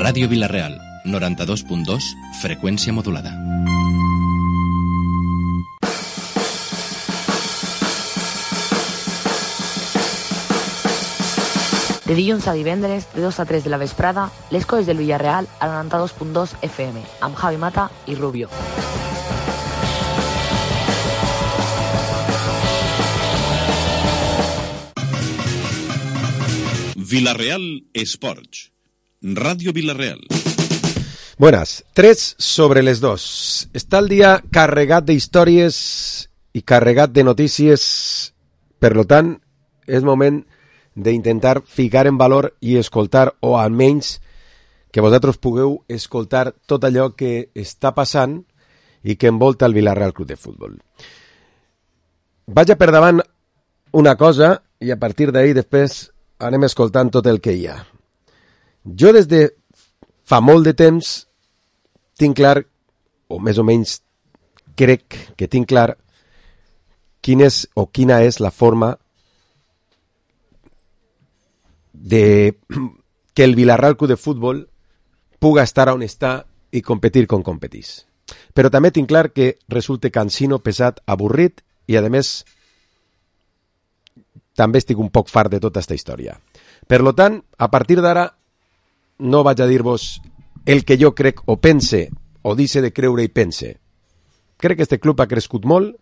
Ràdio Vila-real, 92.2, freqüència modulada. De dilluns a divendres, de 2 a 3 de la vesprada, les coses del Villarreal al 92.2 FM, amb Javi Mata i Rubio. Vila-real Esports. Ràdio Vila-real. Buenas, 3 sobre les 2. Està el dia carregat d'històries i carregat de notícies. Per tant, és moment d'intentar ficar en valor i escoltar, o almenys que vosaltres pugueu escoltar tot allò que està passant i que envolta el Vila-real Club de Futbol. Vaig a per davant una cosa i a partir d'ahir després anem escoltant tot el que hi ha. Jo des de fa molt de temps tinc clar, o més o menys crec que tinc clar, quina és la forma de que el Vila-real Club de Futbol puga estar on està i competir com competís. Però també tinc clar que resulta cansino, pesat, avorrit i, a més, també estic un poc fart de tota aquesta història. Per tant, a partir d'ara, no vaig a dir-vos el que jo crec o pense, o dice de creure i pense. Crec que este club ha crescut molt,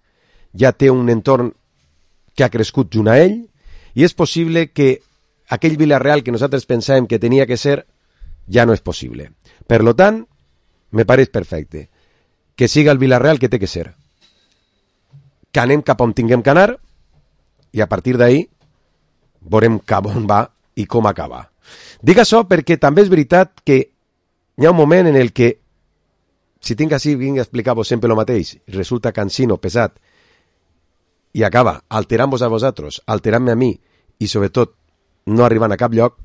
ja té un entorn que ha crescut junt a ell, i és possible que aquell Vila-real que nosaltres pensàvem que tenia que ser, ja no és possible. Per tant, me pareix perfecte que siga el Vila-real que té que ser. Que anem cap on tinguem que anar, i a partir d'ahir veurem cap on va i com acaba. Dic això perquè també és veritat que hi ha un moment en el que, si tinc així, vinc a explicar-vos sempre el mateix, resulta cansino, pesat, i acaba alterant-vos a vosaltres, alterant-me a mi, i sobretot no arribant a cap lloc,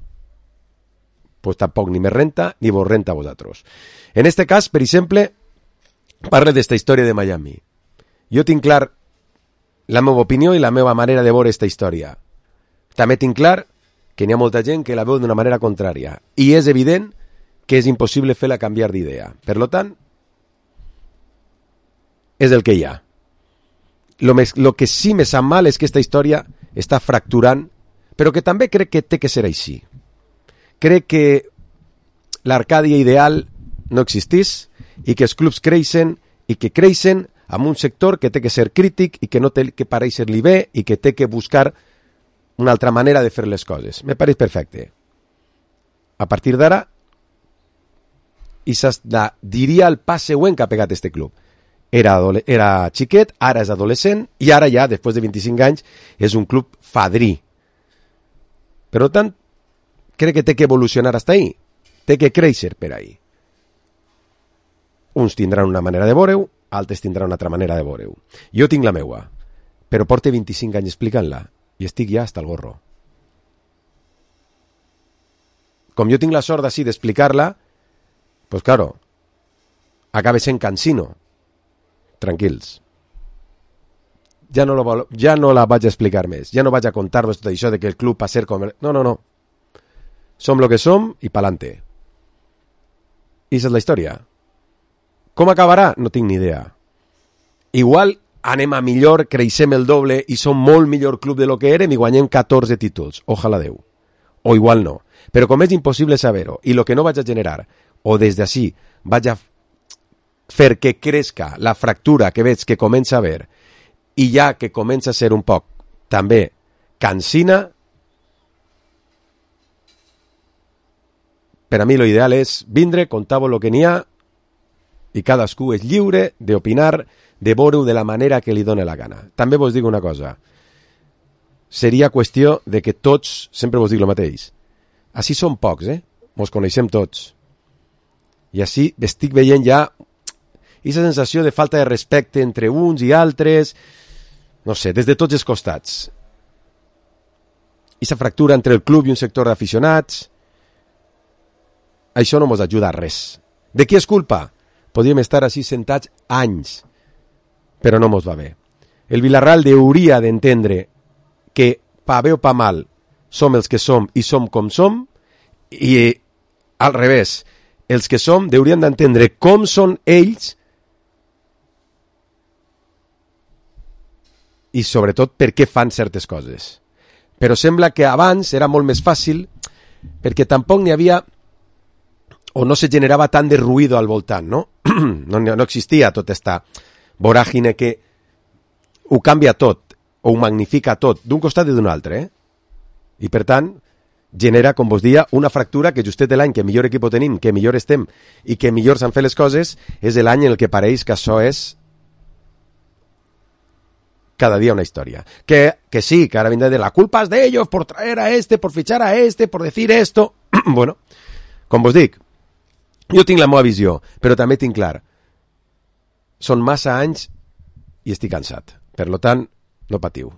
pues tampoc ni me renta ni vos renta a vosaltres. En este cas, per exemple, parle d'esta història de Miami. Jo tinc clar la meva opinió i la meva manera de veure esta història. També tinc clar que n'hi ha molta gent que la veu d'una manera contrària. I és evident que és impossible fer-la canviar d'idea. Per tant, és el que hi ha. Lo que sí me sap mal és que esta història està fracturant, però que també crec que té que ser així. Crec que l'Arcàdia ideal no existís i que els clubs creixen i que creixen amb un sector que té que ser crític i que no té que pareixer-li bé i que té que buscar una altra manera de fer les coses. Me pareix perfecte. A partir d'ara, diria el pas següent que ha pegat este club. Era xiquet, ara és adolescent i ara ja, després de 25 anys, és un club fadrí. Per tant, crec que té que evolucionar fins ahí. Té que créixer per ahí. Uns tindran una manera de veure-ho, altres tindran una altra manera de veure-ho. Jo tinc la meua, però porto 25 anys explicant-la i estic ja hasta el gorro. Com jo tinc la sort d'ací d'explicar-la, pues claro, acaba sent cansino. Tranquils. Ja no la vaig a explicar més. Ja no vaig a contar-vos tot això de que el club va ser com... No. Som lo que som i pa'lante. I aquesta és la història. Com acabarà? No tinc ni idea. Igual anem a millor, creixem el doble i som molt millor club de lo que érem i guanyem 14 títols. Ojalà Déu. O igual no. Però com és impossible saber-ho i lo que no vaig a generar, o des d'ací vaig a fer que crezca la fractura que veig que comença a haver i ja que comença a ser un poc també cansina, per a mi lo ideal és vindre, contar-vos lo que n'hi ha i cadascú és lliure d'opinar, de veure-ho de la manera que li dóna la gana. També vos dic una cosa, seria qüestió de que tots, sempre vos dic el mateix, així som pocs, mos coneixem tots, i així estic veient ja aquesta sensació de falta de respecte entre uns i altres, no sé, des de tots els costats. Aquesta fractura entre el club i un sector d'aficionats, això no mos ajuda a res. De qui és culpa? Podríem estar així sentats anys, però no mos va bé. El Vila-real hauria d'entendre que, pa bé o pa mal, som els que som i som com som, i al revés, els que som haurien d'entendre com són ells i sobretot per què fan certes coses. Però sembla que abans era molt més fàcil perquè tampoc n'hi havia o no se generava tant de ruïdo al voltant, no? No existia tota esta voràgine que ho canvia tot o ho magnifica tot d'un costat i d'un altre, I per tant genera, com vos dia, una fractura que justet l'any que millor equip tenim, que millor estem i que millor s'han fet les coses, és l'any en el que pareix que això és cada dia una història. Que sí, que ara vindrà de la culpa és d'ellos por traer a este, por fichar a este, por decir esto. Bueno, com vos dic, jo tinc la meva visió, però també tinc clar. Són massa anys i estic cansat. Per tant, no patiu,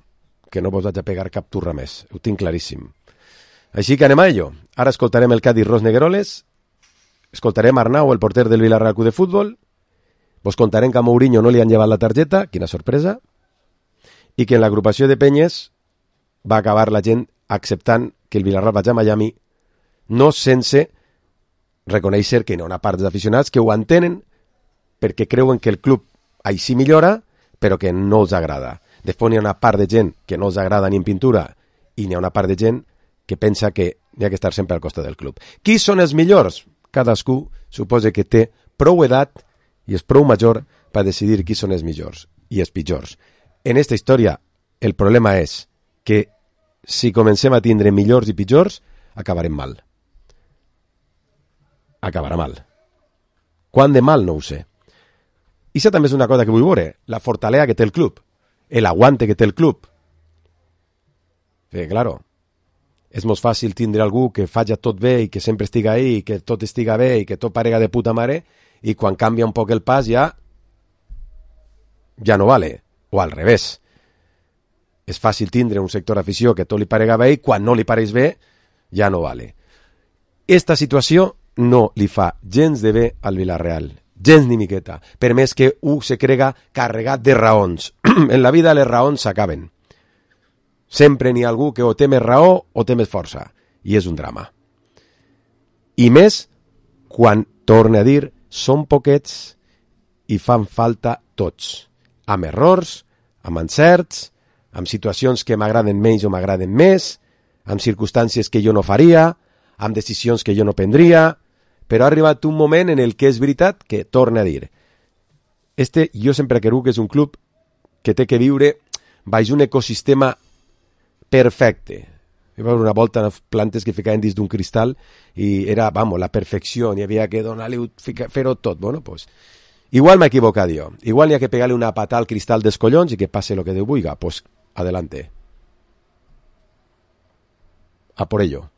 que no vos vaig a pegar cap turra més. Ho tinc claríssim. Així que anem a ello. Ara escoltarem el Cádiz Ros Negueroles, escoltarem Arnau, el porter del Villarreal Club de Futbol, vos contarem que a Mourinho no li han llevat la targeta, quina sorpresa, i que en l'agrupació de penyes va acabar la gent acceptant que el Villarreal vagi a Miami, no sense reconèixer que hi ha una part dels aficionats que ho entenen perquè creuen que el club així millora, però que no els agrada. Després n'hi ha una part de gent que no els agrada ni en pintura i n'hi ha una part de gent que pensa que n'hi ha que estar sempre al costat del club. Qui són els millors? Cadascú suposa que té prou edat i és prou major per decidir qui són els millors i els pitjors. En aquesta història el problema és que si comencem a tindre millors i pitjors, acabarem mal. Acabarà mal. Quan de mal no ho sé. I això també és una cosa que vull veure, la fortalesa que té el club, l'aguante que té el club. Perquè, claro, és molt fàcil tindre algú que faci tot bé i que sempre estiga ahí, i que tot estiga bé i que tot parega de puta mare, i quan canvia un poc el pas ja no vale. O al revés. És fàcil tindre un sector d'afició que tot li parega bé i quan no li pareix bé ja no vale. Esta situació no li fa gens de bé al Villarreal. Gens ni miqueta. Per més que se crega carregat de raons. En la vida les raons s'acaben. Sempre n'hi ha algú que o té més raó o té més força. I és un drama. I més quan, torne a dir, són poquets i fan falta tots. Amb errors, amb encerts, amb situacions que m'agraden menys o m'agraden més, amb circumstàncies que jo no faria, amb decisions que jo no prendria, però ha arribat un moment en el que és veritat que, torne a dir, jo sempre he cregut que és un club que té que viure baix un ecosistema perfecte. Hi va haver una volta unes plantes que ficaven dins d'un cristal i era, la perfecció, n'hi havia que donar-li, fer-ho tot. Bueno, pues, igual m'he equivocat jo. Igual n'hi ha que pegar-li una patada al cristal dels collons i que passe lo que Déu vulgui. Pues, adelante. A por ello.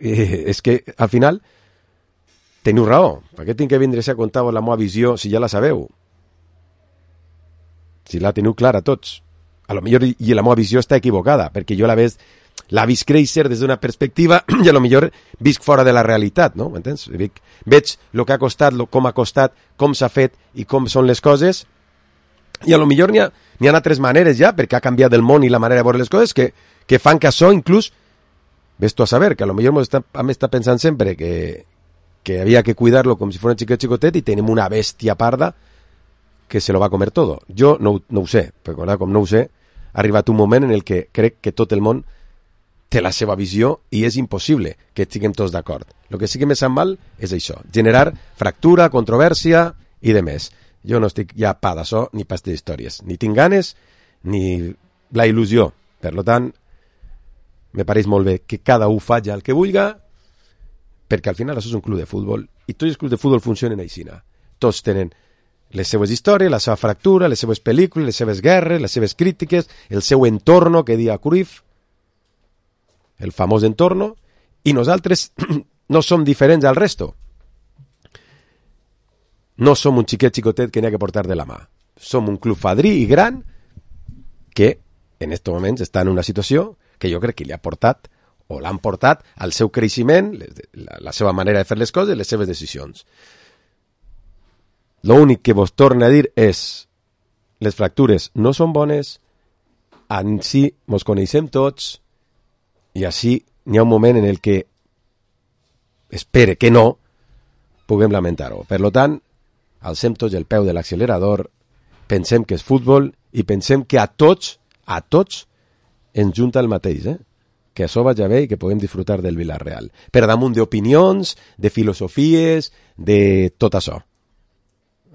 És que, al final, teniu raó. Per què tinc que vindre a contar-vos la meva visió si ja la sabeu? Si la teniu clara tots. A lo millor i la meva visió està equivocada, perquè jo la visc créixer des d'una perspectiva i a lo millor visc fora de la realitat, no? M'entens? Veig el que ha costat, com ha costat, com s'ha fet i com són les coses, i a lo millor n'hi ha altres maneres ja, perquè ha canviat el món i la manera de veure les coses, que fan que això inclús, ves tu a saber, que a lo millor m'està pensant sempre que havia que cuidar-lo com si fos un xicotet i tenim una bèstia parda que se lo va a comer todo. Jo no ho sé, perquè com no ho sé, ha arribat un moment en el que crec que tot el món té la seva visió i és impossible que estiguem tots d'acord. El que sí que me sap mal és això, generar fractura, controvèrsia i de més. Jo no estic ja pa d'això ni pas d'històries. Ni tinc ganes ni la il·lusió. Per tant, me pareix molt bé que cada un faci el que vulgui, perquè al final això és un club de futbol i tots els clubs de futbol funcionen així. Tots tenen les seues històries, la seva fractura, les seues pel·lícules, les seves guerres, les seves crítiques, el seu entorno, que dia Cruyff, el famós entorno, i nosaltres no som diferents al resto. No som un xicotet que n'hi ha que portar de la mà. Som un club fadrí i gran que en aquests moments està en una situació que jo crec que li ha portat o l'han portat al seu creixement, la seva manera de fer les coses, les seves decisions. L'únic que vos torna a dir és les fractures no són bones, així mos coneixem tots i així n'hi ha un moment en el que espere que no puguem lamentar-ho. Per tant, alcem tots el peu de l'accelerador, pensem que és futbol i pensem que a tots ens junta el mateix, que això vagi bé i que puguem disfrutar del Villarreal. Per damunt d'opinions, de filosofies, de tot això.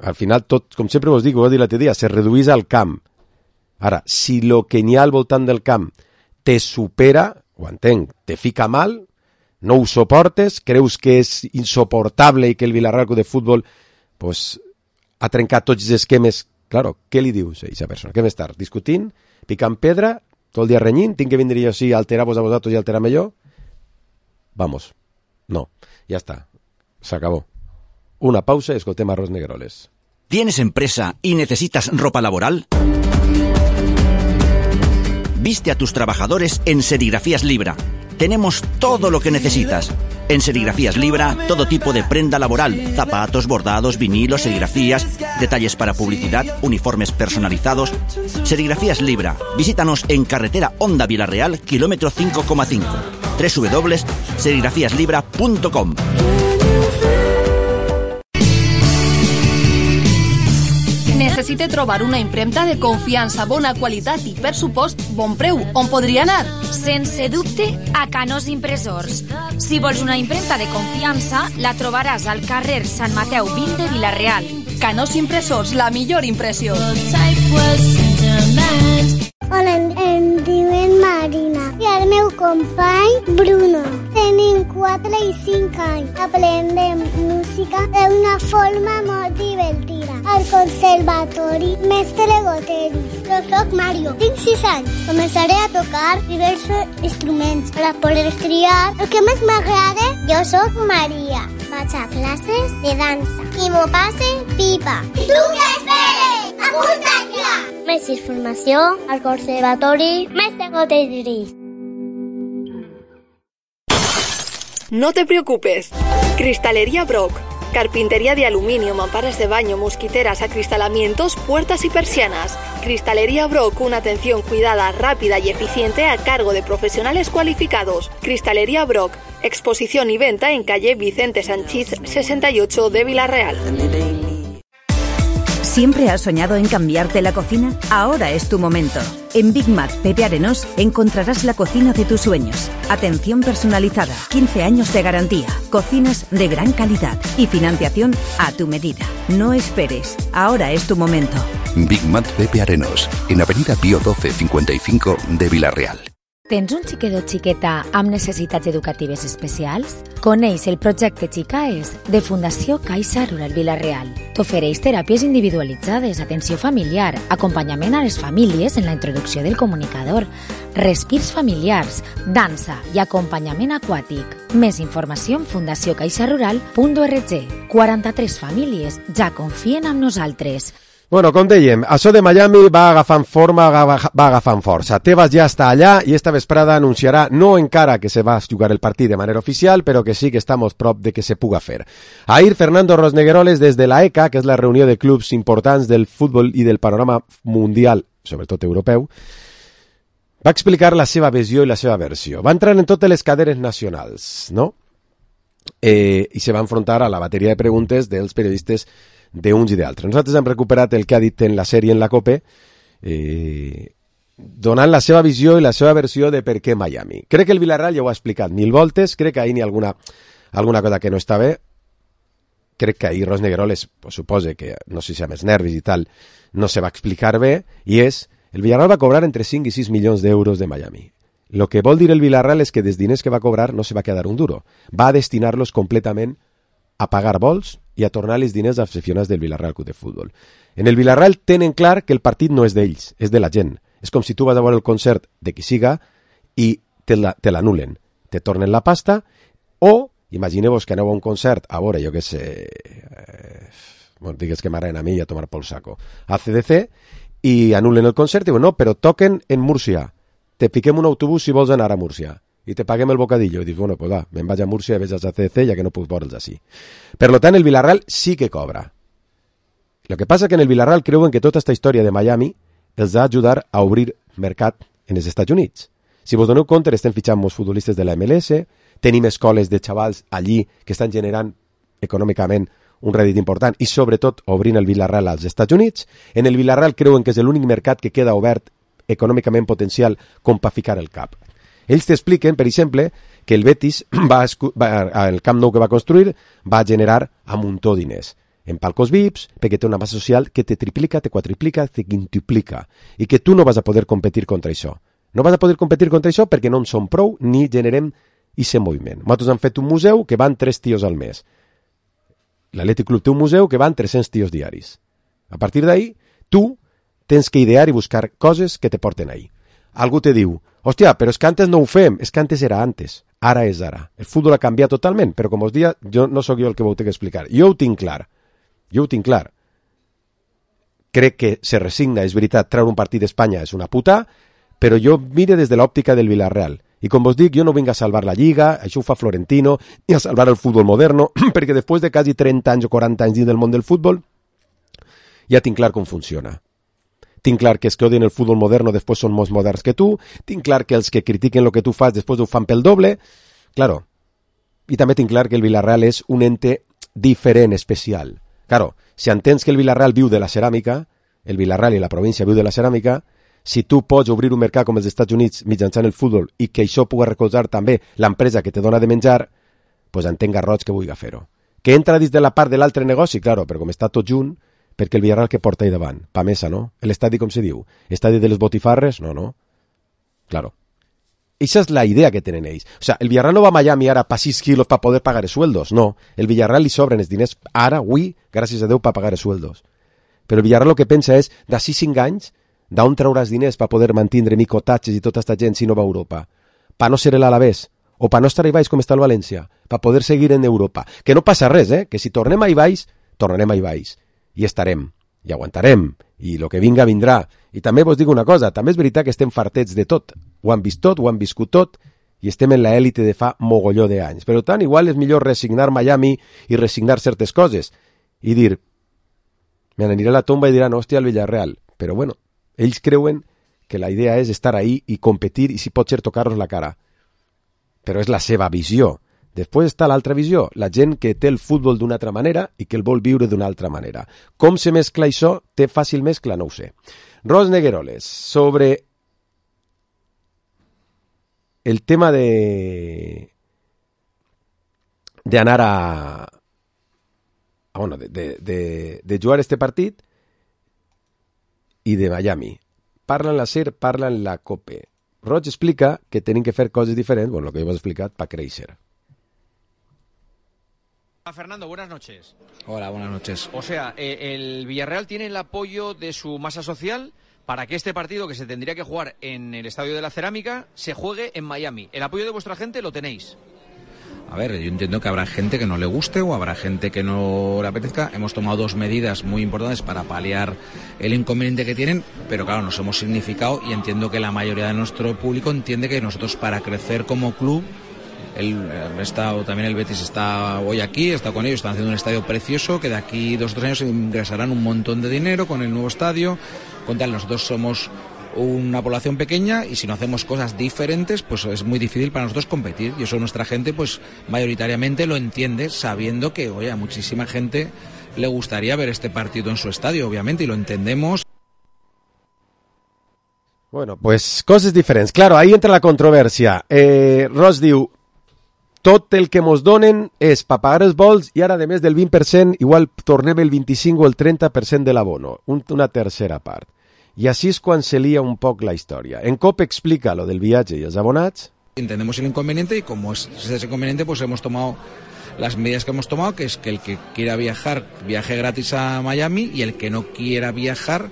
Al final, tot, com sempre vos dic, ho vaig dir l'altre dia, se reduïs al camp. Ara, si lo que n'hi ha al voltant del camp te supera, ho entenc, te fica mal, no ho suportes, creus que és insoportable i que el Villarreal Club de Futbol pues, ha trencat tots els esquemes. Claro, què li dius a aquesta persona? Què m'estàs discutint? Picant pedra? Tot el dia renyint? Tinc que vindre jo així a alterar-vos a vosaltres i alterar-me jo? Vamos. No. Ya está. Se acabó. Una pausa y escoltem a Ros Negroles. ¿Tienes empresa y necesitas ropa laboral? Viste a tus trabajadores en Serigrafías Libra. Tenemos todo lo que necesitas. En Serigrafías Libra, todo tipo de prenda laboral, zapatos, bordados, vinilos, serigrafías, detalles para publicidad, uniformes personalizados. Serigrafías Libra. Visítanos en carretera Honda Villarreal, kilómetro 5,5. www.serigrafiaslibra.com. Necessite trobar una impremta de confiança, bona qualitat i, per supost, bon preu. On podria anar? Sense dubte, a Canós Impressors. Si vols una impremta de confiança, la trobaràs al carrer Sant Mateu 20 de Vila-real. Canós Impressors, la millor impressió. Hola, em diuen Marina i el meu company Bruno. Tenim 4 i 5 anys. Aprendem música d'una forma molt divertida. Al conservatori Mestre Goteri. Jo soc Mario, tinc 6 anys. Començaré a tocar diversos instruments per a poder triar el que més m'agrada. Jo soc Maria. Vaig a classes de dansa i m'ho passe pipa. Tu què esperes? Apunta't ja! Més informació al conservatori Mestre Goteri. No te preocupes. Cristalería Brock. Carpintería de aluminio, mamparas de baño, mosquiteras, acristalamientos, puertas y persianas. Cristalería Brock, una atención cuidada, rápida y eficiente a cargo de profesionales cualificados. Cristalería Brock, exposición y venta en calle Vicente Sanchís 68 de Vila-real. ¿Siempre has soñado en cambiarte la cocina? Ahora es tu momento. En Big Mac Pepe Arenós encontrarás la cocina de tus sueños. Atención personalizada, 15 años de garantía, cocinas de gran calidad y financiación a tu medida. No esperes, ahora es tu momento. Big Mac Pepe Arenós, en Avenida Pío 12 55 de Vila-real. Tens un xiquet o xiqueta amb necessitats educatives especials? Coneix el projecte Xicaes de Fundació Caixa Rural Vila-real. T'ofereix teràpies individualitzades, atenció familiar, acompanyament a les famílies en la introducció del comunicador, respirs familiars, dansa i acompanyament aquàtic. Més informació en fundaciocaixarural.org. 43 famílies ja confien en nosaltres. Bueno, com dèiem, això de Miami va agafant forma, va agafant força. Tebas ja està allà i esta vesprada anunciarà, no encara que se va jugar el partit de manera oficial, però que sí que estamos prop de que se puga fer. Ahir, Fernando Rosnegueroles, des de la ECA, que és la reunió de clubs importants del futbol i del panorama mundial, sobretot europeu, va explicar la seva visió i la seva versió. Va entrar en totes les caderes nacionals, no? I se va enfrontar a la bateria de preguntes dels periodistes d'uns i d'altres. Nosaltres hem recuperat el que ha dit en la sèrie en la COPE, donant la seva visió i la seva versió de per què Miami. Crec que el Villarreal ja ho ha explicat 1000 voltes, crec que ahir n'hi ha alguna cosa que no està bé. Crec que ahir Rosnegueroles, pues, suposa que, no sé si amb els nervis i tal, no se va explicar bé, i és, el Villarreal va cobrar entre 5 i 6 milions d'euros de Miami. Lo que vol dir el Villarreal és que dels diners que va cobrar no se va quedar un duro. Va a destinar-los completament a pagar vols i a tornar els diners als aficionats del Villarreal Club de Futbol. En el Villarreal tenen clar que el partit no és d'ells, és de la gent. És com si tu vas a veure el concert de qui siga i te l'anulen. Te tornen la pasta o, imagineu-vos que aneu a un concert, a veure, jo què sé, digues que m'agraden a mi i a tomar pel saco, a CDC, i anulen el concert i diuen, no, però toquen en Múrcia. Te piquem un autobús si vols anar a Múrcia. I te paguem el bocadillo. I dius, bueno, pues va, me'n vaig a Múrcia i veig a CDC, ja que no puc veure'ls així. Per tant, el Villarreal sí que cobra. Lo que passa que en el Villarreal creuen que tota aquesta història de Miami els ha d'ajudar a obrir mercat en els Estats Units. Si vos doneu compte, estem fitxant molts futbolistes de la MLS, tenim escoles de xavals allí que estan generant econòmicament un rèdit important i sobretot obrint el Villarreal als Estats Units. En el Villarreal creuen que és l'únic mercat que queda obert econòmicament potencial com per ficar el cap. Ells t'expliquen, per exemple, que el Betis el Camp Nou que va construir va generar a muntó diners en palcos VIPs, perquè té una massa social que te triplica, te quadriplica, te quintuplica, i que tu no vas a poder competir contra això. No vas a poder competir contra això perquè no en som prou ni generem aquest moviment. Nosaltres hem fet un museu que van 3 tios al mes. L'Atlètic Club té un museu que van 300 tios diaris. A partir d'ahí, tu tens que idear i buscar coses que te porten ahí. Algú te diu, hòstia, però és que antes no ho fem, és que antes era antes, ara és ara. El futbol ha canviat totalment, però com us dia, jo no sóc jo el que ho tinc que explicar. Jo ho tinc clar. Crec que se resigna, és veritat, treure un partit d'Espanya és una puta, però jo mire des de l'òptica del Villarreal. I com vos dic, jo no vinc a salvar la Lliga, això ho fa Florentino, ni a salvar el futbol moderno, perquè després de quasi 30 anys o 40 anys dins del món del futbol, ja tinc clar com funciona. Tinc clar que els que odien el futbol moderno després són més moderns que tu, tinc clar que els que critiquen el que tu fas després ho fan pel doble, claro. I també tinc clar que el Villarreal és un ente diferent, especial. Claro, si entens que el Villarreal viu de la ceràmica, el Villarreal i la província viu de la ceràmica, si tu pots obrir un mercat com els Estats Units mitjançant el futbol i que això pugui recolzar també l'empresa que te dona de menjar, doncs entenc Garrots que vulgui fer-ho. Que entra dins de la part de l'altre negoci, claro, però com està tot junt, perquè el Villarreal que porta ahí davant, pa mesa, no? L'estadi com se diu? Estadi de les botifarres? No. Claro. Esa és la idea que tenen ells. O sea, el Villarreal no va a Miami ara pa 6 quilos para poder pagar els sueldos, no. El Villarreal li sobren els diners ara, avui, gràcies a Déu, para pagar els sueldos. Però el Villarreal el que pensa és, d'ací 5 anys, d'on trauràs diners per poder mantindre micotatges i tota aquesta gent si no va a Europa? Per no ser l'Alavés, o per no estar a baix com està el València, per poder seguir en Europa. Que no passa res, que si tornem a baix, tornarem a baix. I estarem, i aguantarem, i el que vinga vindrà. I també vos dic una cosa, també és veritat que estem fartets de tot. Ho han vist tot, ho han viscut tot, i estem en l'élite de fa mogolló d'anys. Per tant, igual és millor resignar Miami i resignar certes coses. I dir, me n'aniré a la tomba i diran, hòstia, el Villarreal. Però bueno, ells creuen que la idea és estar ahí i competir i si pot ser tocar-nos la cara. Però és la seva visió. Després està l'altra visió, la gent que té el futbol d'una altra manera i que el vol viure d'una altra manera. Com se mescla això? Té fàcil mescla? No ho sé. Ros Negueroles, sobre el tema de anar de jugar este partit i de Miami. Parla en la SER, parla en la COPE. Roig explica que tenim que fer coses diferents, bueno, el que jo he explicat, per créixer. Fernando, buenas noches. Hola, buenas noches. O sea, el Villarreal tiene el apoyo de su masa social para que este partido que se tendría que jugar en el Estadio de la Cerámica se juegue en Miami. ¿El apoyo de vuestra gente lo tenéis? A ver, yo entiendo que habrá gente que no le guste o habrá gente que no le apetezca. Hemos tomado 2 medidas muy importantes para paliar el inconveniente que tienen, pero claro, nos hemos significado y entiendo que la mayoría de nuestro público entiende que nosotros para crecer como club, también el Betis está hoy aquí, está con ellos, están haciendo un estadio precioso que de aquí 2 o 3 años ingresarán un montón de dinero con el nuevo estadio. Con tal, nosotros somos una población pequeña y si no hacemos cosas diferentes pues es muy difícil para nosotros competir y eso nuestra gente pues mayoritariamente lo entiende sabiendo que oye, a muchísima gente le gustaría ver este partido en su estadio obviamente y lo entendemos. Bueno, pues coses diferents. Claro, ahí entra la controvèrsia. Ross diu, tot el que mos donen és per pagar els vols i ara, a més del 20%, igual tornem el 25 o el 30% de l'abono, una tercera part. I així és quan se lia un poc la història. En COP explica lo del viatge i els abonats. Entendemos el inconveniente y como es ese inconveniente, pues hemos tomado las medidas que hemos tomado, que es que el que quiera viajar, viaje gratis a Miami y el que no quiera viajar,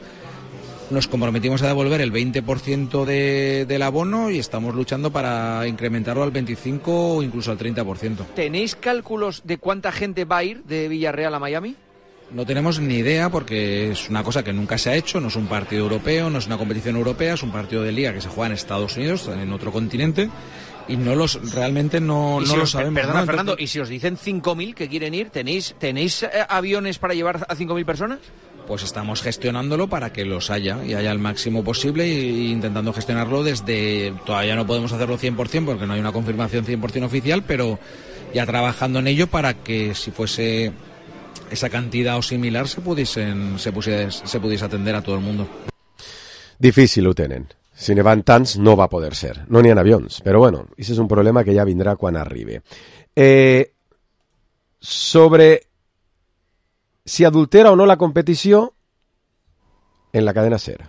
nos comprometimos a devolver el 20% del abono y estamos luchando para incrementarlo al 25% o incluso al 30%. ¿Tenéis cálculos de cuánta gente va a ir de Villarreal a Miami? No tenemos ni idea porque es una cosa que nunca se ha hecho, no es un partido europeo, no es una competición europea, es un partido de liga que se juega en Estados Unidos, en otro continente, y realmente no lo sabemos. Perdona, ¿no? Fernando, ¿y si os dicen 5.000 que quieren ir, tenéis aviones para llevar a 5.000 personas? pues estamos gestionándolo para que los haya y haya el máximo posible e intentando gestionarlo desde, todavía no podemos hacerlo 100% porque no hay una confirmación 100% oficial, pero ya trabajando en ello para que si fuese esa cantidad o similar se pudiese atender a todo el mundo. Difícil ho tenen. Si ne van tants no va poder ser. No n'hi ha avions. Però bueno, això és un problema que ja vindrà quan arribi. Sobre si adultera o no la competició en la cadena SER.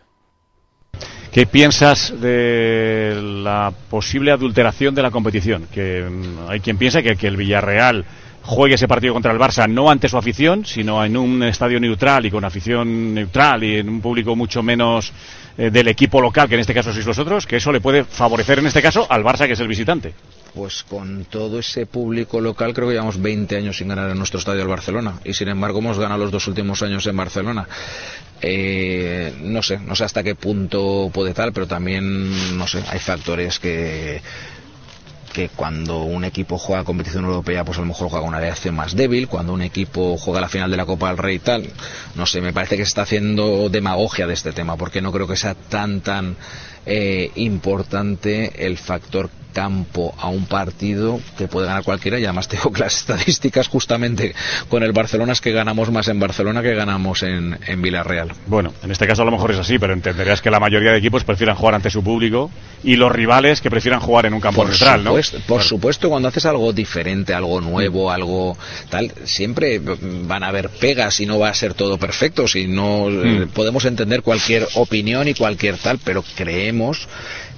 ¿Qué piensas de la posible adulteración de la competición? Que hay quien piensa que el Villarreal juegue ese partido contra el Barça no ante su afición, sino en un estadio neutral y con afición neutral y en un público mucho menos del equipo local, que en este caso sois vosotros, que eso le puede favorecer en este caso al Barça, que es el visitante. Pues con todo ese público local creo que llevamos 20 años sin ganar en nuestro estadio el Barcelona y sin embargo hemos ganado los 2 últimos años en Barcelona. No sé hasta qué punto puede tal, pero también no sé, hay factores que cuando un equipo juega competición europea pues a lo mejor juega con una reacción más débil, cuando un equipo juega la final de la Copa del Rey y tal, no sé, me parece que se está haciendo demagogia de este tema porque no creo que sea tan importante el factor campo a un partido que puede ganar cualquiera, y además tengo que las estadísticas justamente con el Barcelona es que ganamos más en Barcelona que ganamos en Villarreal. Bueno, en este caso a lo mejor es así, pero entenderías que la mayoría de equipos prefieran jugar ante su público y los rivales que prefieran jugar en un campo neutral, ¿no? Por supuesto, cuando haces algo diferente, algo nuevo, algo tal, siempre van a haber pegas y no va a ser todo perfecto, si no podemos entender cualquier opinión y cualquier tal, pero creemos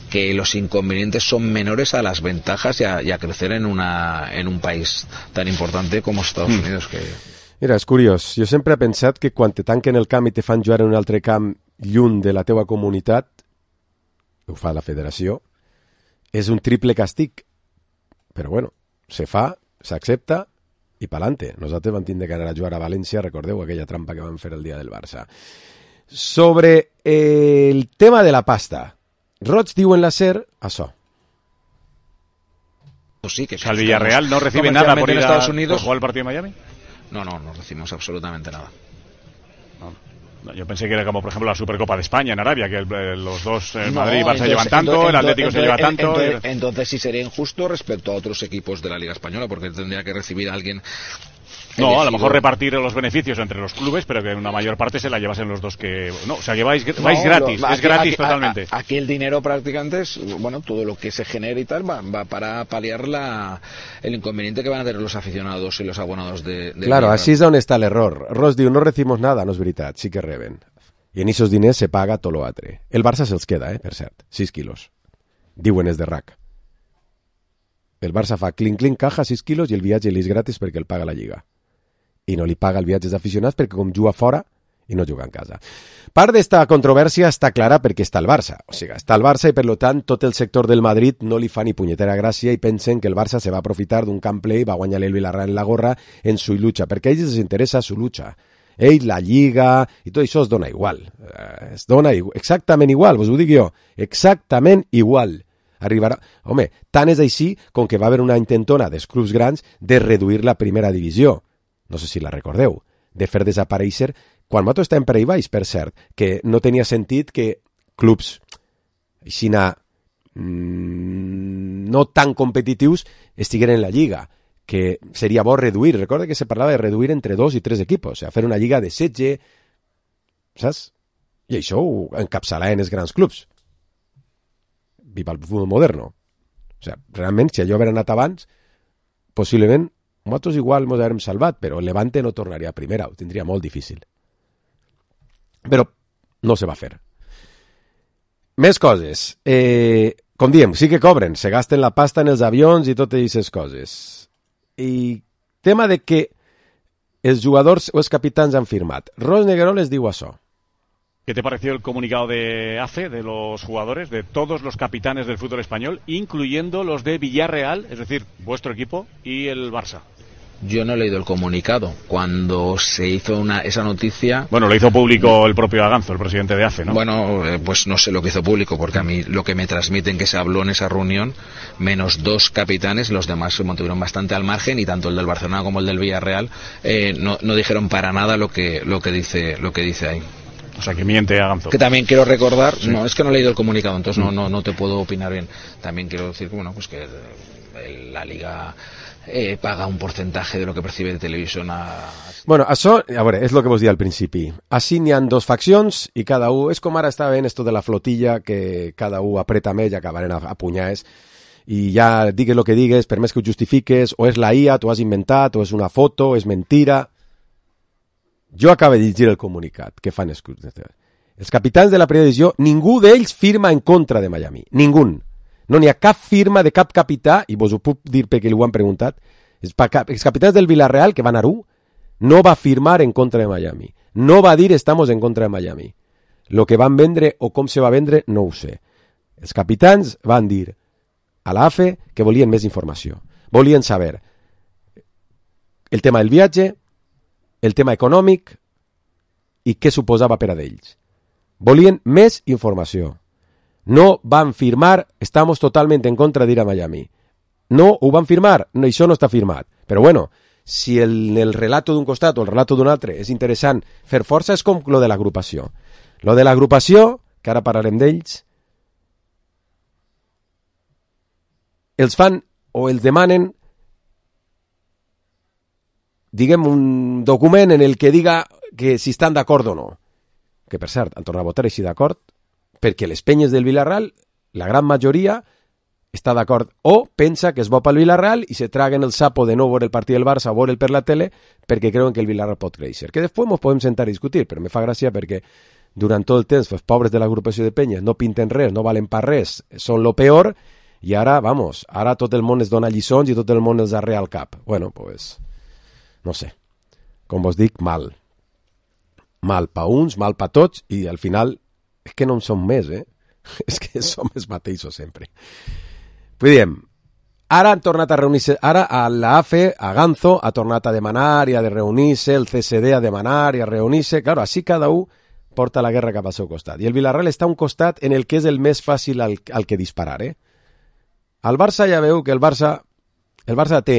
que los inconvenientes son menores a las ventajas y a crecer en un país tan importante como Estados Unidos. Que... Mira, és curiós. Jo sempre he pensat que quan te tanquen el camp i te fan jugar en un altre camp lluny de la teua comunitat, ho fa la federació, és un triple càstig. Però bueno, se fa, s'accepta i pa'lante. Nosaltres vam tindre que anar a jugar a València, recordeu aquella trampa que vam fer el dia del Barça. Sobre el tema de la pasta, Roig diu en la SER això. Sí, que el Villarreal no recibe nada por ir Estados Unidos. ¿Por jugar el partido en Miami? No recibimos absolutamente nada. No, yo pensé que era como por ejemplo la Supercopa de España en Arabia, que los dos, Madrid y Barça llevan tanto, el Atlético se lleva tanto. Entonces sí sería injusto respecto a otros equipos de la Liga Española, porque tendría que recibir a alguien. No, a lo mejor repartir los beneficios entre los clubes, pero que una mayor parte se la llevasen los dos que... No, o sea, que vais gratis, es gratis totalmente. Aquí el dinero prácticamente es, bueno, todo lo que se genera y tal va para paliar el inconveniente que van a tener los aficionados y los abonados de Claro, així és on està l'error. Ross diu, no recibimos nada, no és veritat, sí que reben. I en esos diners se paga tot l'altre. El Barça se'ls queda, per cert, 6 quilos. Diuen és de RAC. El Barça fa clink, caja, 6 quilos i el viatge li és gratis perquè el paga la Lliga. I no li paga el viatge d'aficionats perquè com juga fora i no juga en casa. Part d'esta controvèrsia està clara perquè està el Barça. O sigui, està el Barça i per tant tot el sector del Madrid no li fa ni punyetera gràcia i pensen que el Barça se va aprofitar d'un camp ple i va guanyar el Villarreal en la gorra en su lucha, perquè a ells els interessa su lucha. Ells, la Lliga i tot això es dona igual. Es dona exactament igual, vos ho dic jo. Exactament igual. Arribarà... Home, tant és així com que va haver una intentona dels clubs grans de reduir la primera divisió. No sé si la recordeu, de fer desaparèixer, quan nosaltres estàvem per ahí baix, per cert, que no tenia sentit que clubs així no tan competitius estigueren en la Lliga, que seria bo reduir. Recorda que se parlava de reduir entre 2 i 3 equipos, o sigui, fer una Lliga de 16, saps? I això ho encapçalaven els grans clubs. Viva el futbol moderno. O sigui, realment, si allò haver anat abans, possiblement nosaltres igual ens haurem salvat, però el Levante no tornaria a primera, ho tindria molt difícil. Però no se va fer. Més coses. Com diem, sí que cobren, se gasten la pasta en els avions i totes aquestes coses. I tema de que els jugadors o els capitans han firmat. Ros Neguerol les diu això. ¿Qué te pareció el comunicado de ACE, de los jugadores, de todos los capitanes del fútbol español, incluyendo los de Villarreal, es decir, vuestro equipo, y el Barça? Yo no he leído el comunicado. Cuando se hizo esa noticia... Bueno, lo hizo público el propio Aganzo, el presidente de AFE, ¿no? Bueno, pues no sé lo que hizo público, porque a mí lo que me transmiten que se habló en esa reunión, menos 2 capitanes, los demás se mantuvieron bastante al margen, y tanto el del Barcelona como el del Villarreal no dijeron para nada lo que dice ahí. O sea, que miente Aganzo. Que también quiero recordar, sí. No, es que no he leído el comunicado, entonces no te puedo opinar bien. También quiero decir que, bueno, pues que la Liga... paga un porcentaje de lo que percibe de televisión Bueno, això, a veure, és el que vos dia al principi. Així n'hi ha 2 faccions i cada un... És com ara està ben esto de la flotilla, que cada un apreta més i acabarem a punyades. I ja digues el que digues, per més que ho justifiques, o és la IA, t'ho has inventat, o és una foto, és mentira. Jo acabo de llegir el comunicat que fan els capitans de la primera divisió, ningú d'ells firma en contra de Miami. Ningú. No n'hi ha cap firma de cap capità, i vos ho puc dir perquè ho han preguntat, els capitans del Villarreal, que van a Aru, no va firmar en contra de Miami. No va dir estamos en contra de Miami. Lo que van vendre o com se va vendre, no ho sé. Els capitans van dir a l'AFE que volien més informació. Volien saber el tema del viatge, el tema econòmic i què suposava per a d'ells. Volien més informació. No van firmar, estamos totalmente en contra de ir a Miami. No ho van firmar, no, això no està firmat. Però bueno, si el relato d'un costat o el relato d'un altre és interessant fer força, és com lo de l'agrupació. Lo de l'agrupació, que ara parlarem d'ells, els fan o els demanen, diguem, un document en el que diga que si estan d'acord o no. Que per cert, han tornat a votar així d'acord, perquè les penyes del Villarreal, la gran majoria, està d'acord o pensa que es bo pel Villarreal i se traguen el sapo de no veure el partit del Barça o veure'l per la tele perquè creuen que el Villarreal pot créixer. Que després ens podem sentar a discutir, però me fa gràcia perquè durant tot el temps els pobres de l'agrupació de penyes no pinten res, no valen per res, són lo peor, i ara, vamos, ara tot el món es dona lliçons i tot el món els arrea al cap. Bueno, pues, no sé, com vos dic, mal. Mal pa uns, mal pa tots, i al final és que no en som més, és que som els mateixos sempre. Pues diem, ara han tornat a reunir-se, ara a l'AFE, a Aganzo, ha tornat a demanar i a de reunir-se, el CSD a demanar i a reunir-se, claro, així cada un porta la guerra cap al seu costat. I el Villarreal està a un costat en el que és el més fàcil al que disparar, Al Barça ja veu que el Barça té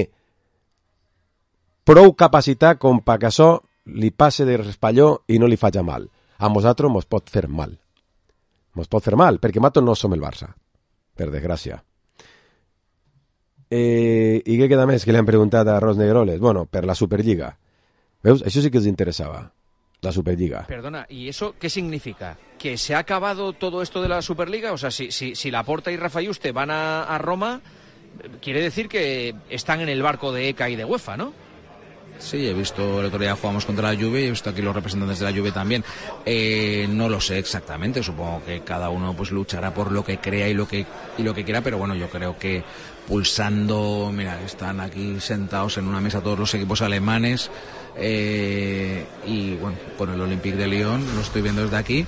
prou capacitat com perquè això li passe de raspalló i no li faci mal. A nosaltres mos pot fer mal. Mos pot fer mal, perquè nosaltres no som el Barça, per desgràcia. I què queda més que li han preguntat a Ros Negroles? Bueno, per la Superliga. Veus? Això sí que els interessava, la Superliga. Perdona, ¿y eso qué significa? ¿Que se ha acabado todo esto de la Superliga? O sea, si Laporta y Rafa Yuste van a Roma, quiere decir que están en el barco de ECA y de UEFA, ¿no? Sí, he visto, el otro día jugamos contra la Juve y he visto aquí los representantes de la Juve también. No lo sé exactamente, supongo que cada uno pues luchará por lo que crea y lo que quiera, pero bueno, yo creo que pulsando, mira, están aquí sentados en una mesa todos los equipos alemanes y bueno, con el Olympique de Lyon, lo estoy viendo desde aquí,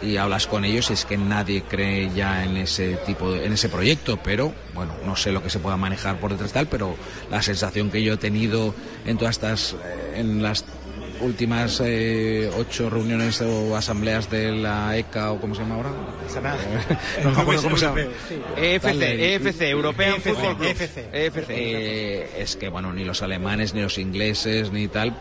y hablas con ellos y es que nadie cree ya en ese proyecto, pero bueno, no sé lo que se pueda manejar por detrás tal, pero la sensación que yo he tenido en todas estas, en las últimas 8 reuniones o asambleas de la ECA, o ¿cómo se llama ahora? No me acuerdo cómo se llama. EFC, European Football Club. EFC. Es que bueno, ni los alemanes, ni los ingleses, ni tal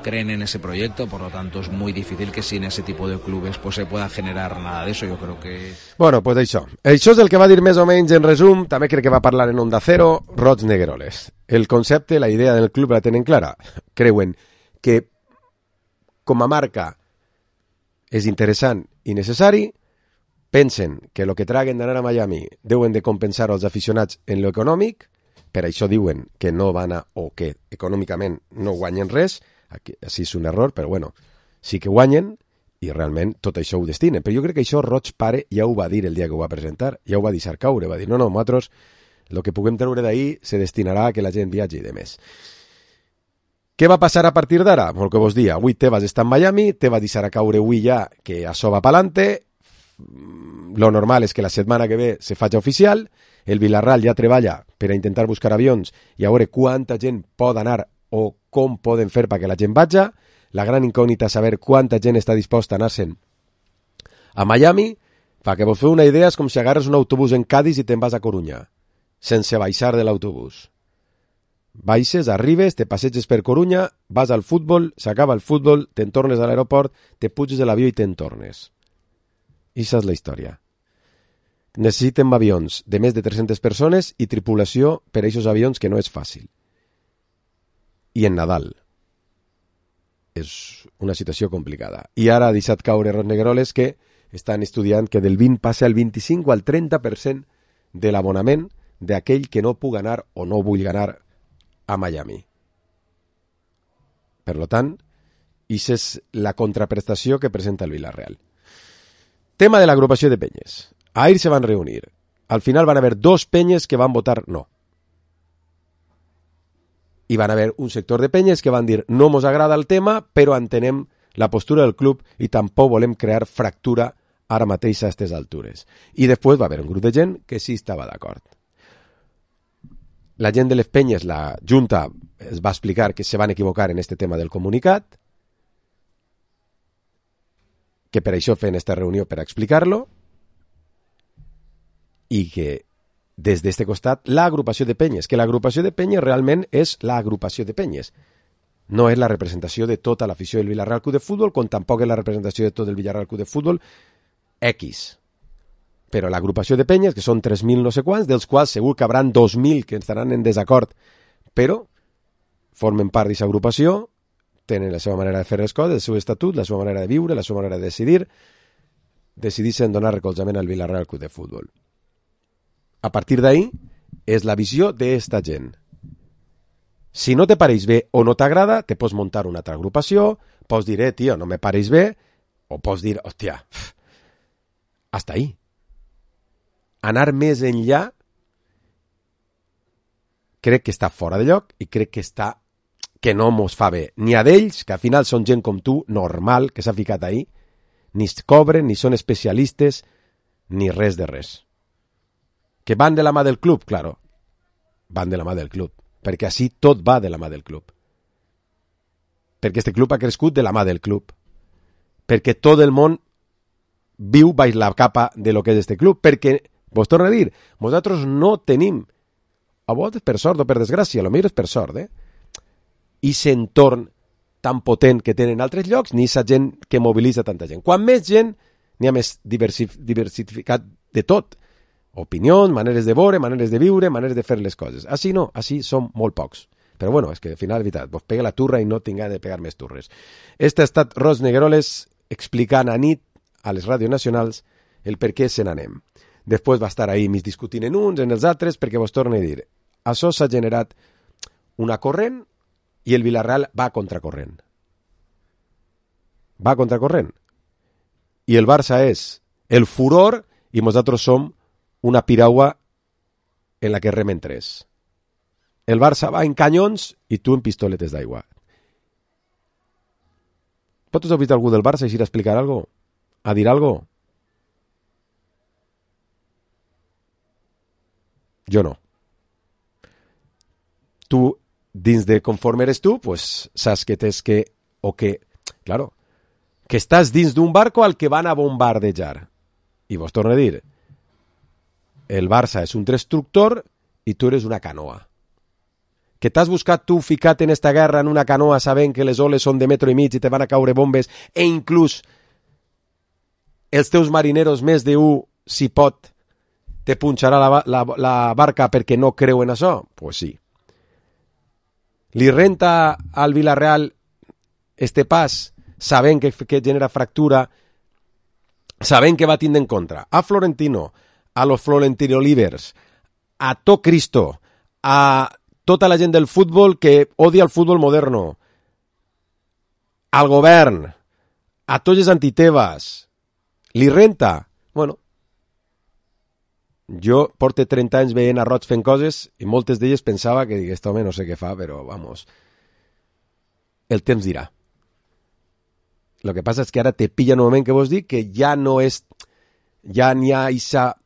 creen en ese proyecto, por lo tanto es muy difícil que sin ese tipo de clubes pues se pueda generar nada de eso, yo creo que... Bueno, pues això és el que va dir més o menys en resum, també crec que va parlar en Onda Cero, Roig Negueroles. El concepte, la idea del club la tenen clara, creuen que com a marca és interessant i necessari, pensen que el que traguen d'anar a Miami deuen de compensar els aficionats en lo econòmic, per això diuen que no van a, o que econòmicament no guanyen res. Aquí, així és un error, però bueno, sí que guanyen i realment tot això ho destinen. Però jo crec que això Roig pare ja ho va dir el dia que ho va presentar, ja ho va deixar caure, va dir, no, nosaltres el que puguem treure d'ahir se destinarà a que la gent viatgi i de més. Què va passar a partir d'ara? El que vos dia, avui Tebas està en Miami, Tebas deixarà caure avui ja que això va pa'lante, lo normal és que la setmana que ve se faci oficial, el Villarreal ja treballa per a intentar buscar avions i a veure quanta gent pot anar o com poden fer perquè la gent vagi. La gran incògnita és saber quanta gent està disposta a anar-se'n a Miami. Pa que vos feu una idea, és com si agarres un autobús en Cádiz i te'n vas a Coruña, sense baixar de l'autobús. Baixes, arribes, te passeges per Coruña, vas al futbol, s'acaba el futbol, te'n tornes a l'aeroport, te puges de l'avió i te'n tornes. I això és la història. Necessiten avions de més de 300 persones i tripulació per a aquests avions, que no és fàcil. I en Nadal. És una situació complicada. I ara ha deixat caure Rosnegueroles que estan estudiant que del 20 passa al 25 o al 30% de l'abonament d'aquell que no pugui anar o no vulgui anar a Miami. Per tant, això és la contraprestació que presenta el Villarreal. Tema de l'agrupació de penyes. Ahir se van reunir. Al final van haver 2 penyes que van votar no. I van haver un sector de penyes que van dir no mos agrada el tema, però entenem la postura del club i tampoc volem crear fractura ara mateix a aquestes altures. I després va haver un grup de gent que sí estava d'acord. La gent de les penyes, la Junta, es va explicar que se van equivocar en este tema del comunicat, que per això feien esta reunió per explicar-lo, i que des d'este costat l'agrupació de penyes, que l'agrupació de penyes realment és l'agrupació de penyes. No és la representació de tota l'afició del Villarreal Club de Futbol, com tampoc és la representació de tot el Villarreal Club de Futbol X. Però l'agrupació de penyes, que són 3.000 no sé quants, dels quals segur que hauran 2.000 que estaran en desacord, però formen part d'aquesta agrupació, tenen la seva manera de fer les coses, el seu estatut, la seva manera de viure, la seva manera de decidir, decideixen donar recolzament al Villarreal Club de Futbol. A partir d'ahí, és la visió d'esta gent. Si no te pareix bé o no t'agrada, te pots muntar una altra agrupació, pots dir, tio, no me pareix bé, o pots dir, hòstia, hasta ahí. Anar més enllà crec que està fora de lloc i crec que no mos fa bé. Ni a d'ells, que al final són gent com tu, normal, que s'ha ficat ahí, ni es cobren, ni són especialistes, ni res de res. Que van de la mà del club, claro, van de la mà del club, perquè així tot va de la mà del club. Perquè este club ha crescut de la mà del club. Perquè tot el món viu baix la capa de lo que és este club, perquè, vos torno a dir, nosaltres no tenim, a vegades per sort o per desgràcia, a lo millor és per sort, i s'entorn tan potent que tenen altres llocs, ni aquesta gent que mobilitza tanta gent. Quan més gent, n'hi ha més diversificat de tot. Opinions, maneres de veure, maneres de viure, maneres de fer les coses. Així no, així som molt pocs. Però bueno, és que al final, veritat, vos pega la turra i no tinga de pegar més turres. Este ha estat Rosnegueroles explicant a nit a les ràdios nacionals el per què se n'anem. Després va estar ahí mig discutint en uns, en els altres, perquè vos torno a dir, això s'ha generat una corrent i el Villarreal va a contracorrent. Va a contracorrent. I el Barça és el furor i nosaltres som una piragua en la que remen tres. El Barça va en canyons i tu en pistoletes d'aigua. ¿Vosotros habéis visto algú del Barça ir a explicar algo? ¿A dir algo? Yo no. Tú, dins de conforme eres tú, pues saps que tens que, o que, claro, que estàs dins d'un barco al que van a bombardejar. I vos torno a dir, el Barça és un destructor i tu eres una canoa. Que t'has buscat tu ficat en esta guerra en una canoa sabent que les oles són de metro i mig i te van a caure bombes e inclús els teus marineros més d'un, si pot, te punxarà la barca perquè no creu en això? Pues sí. Li renta al Villarreal este pas sabent que genera fractura, sabent que va tindre en contra a Florentino, a los Florentino Livers, a tot Cristo, a tota la gent del futbol que odia el futbol moderno, al govern, a tots els antiteves, li renta? Bueno, jo porto 30 anys veient a Roig fent coses i moltes d'elles pensava que aquest home no sé què fa, però vamos, el temps dirà. Lo que passa és que ara te pilla en un moment que vos dic que ja no és, ja n'hi ha aquesta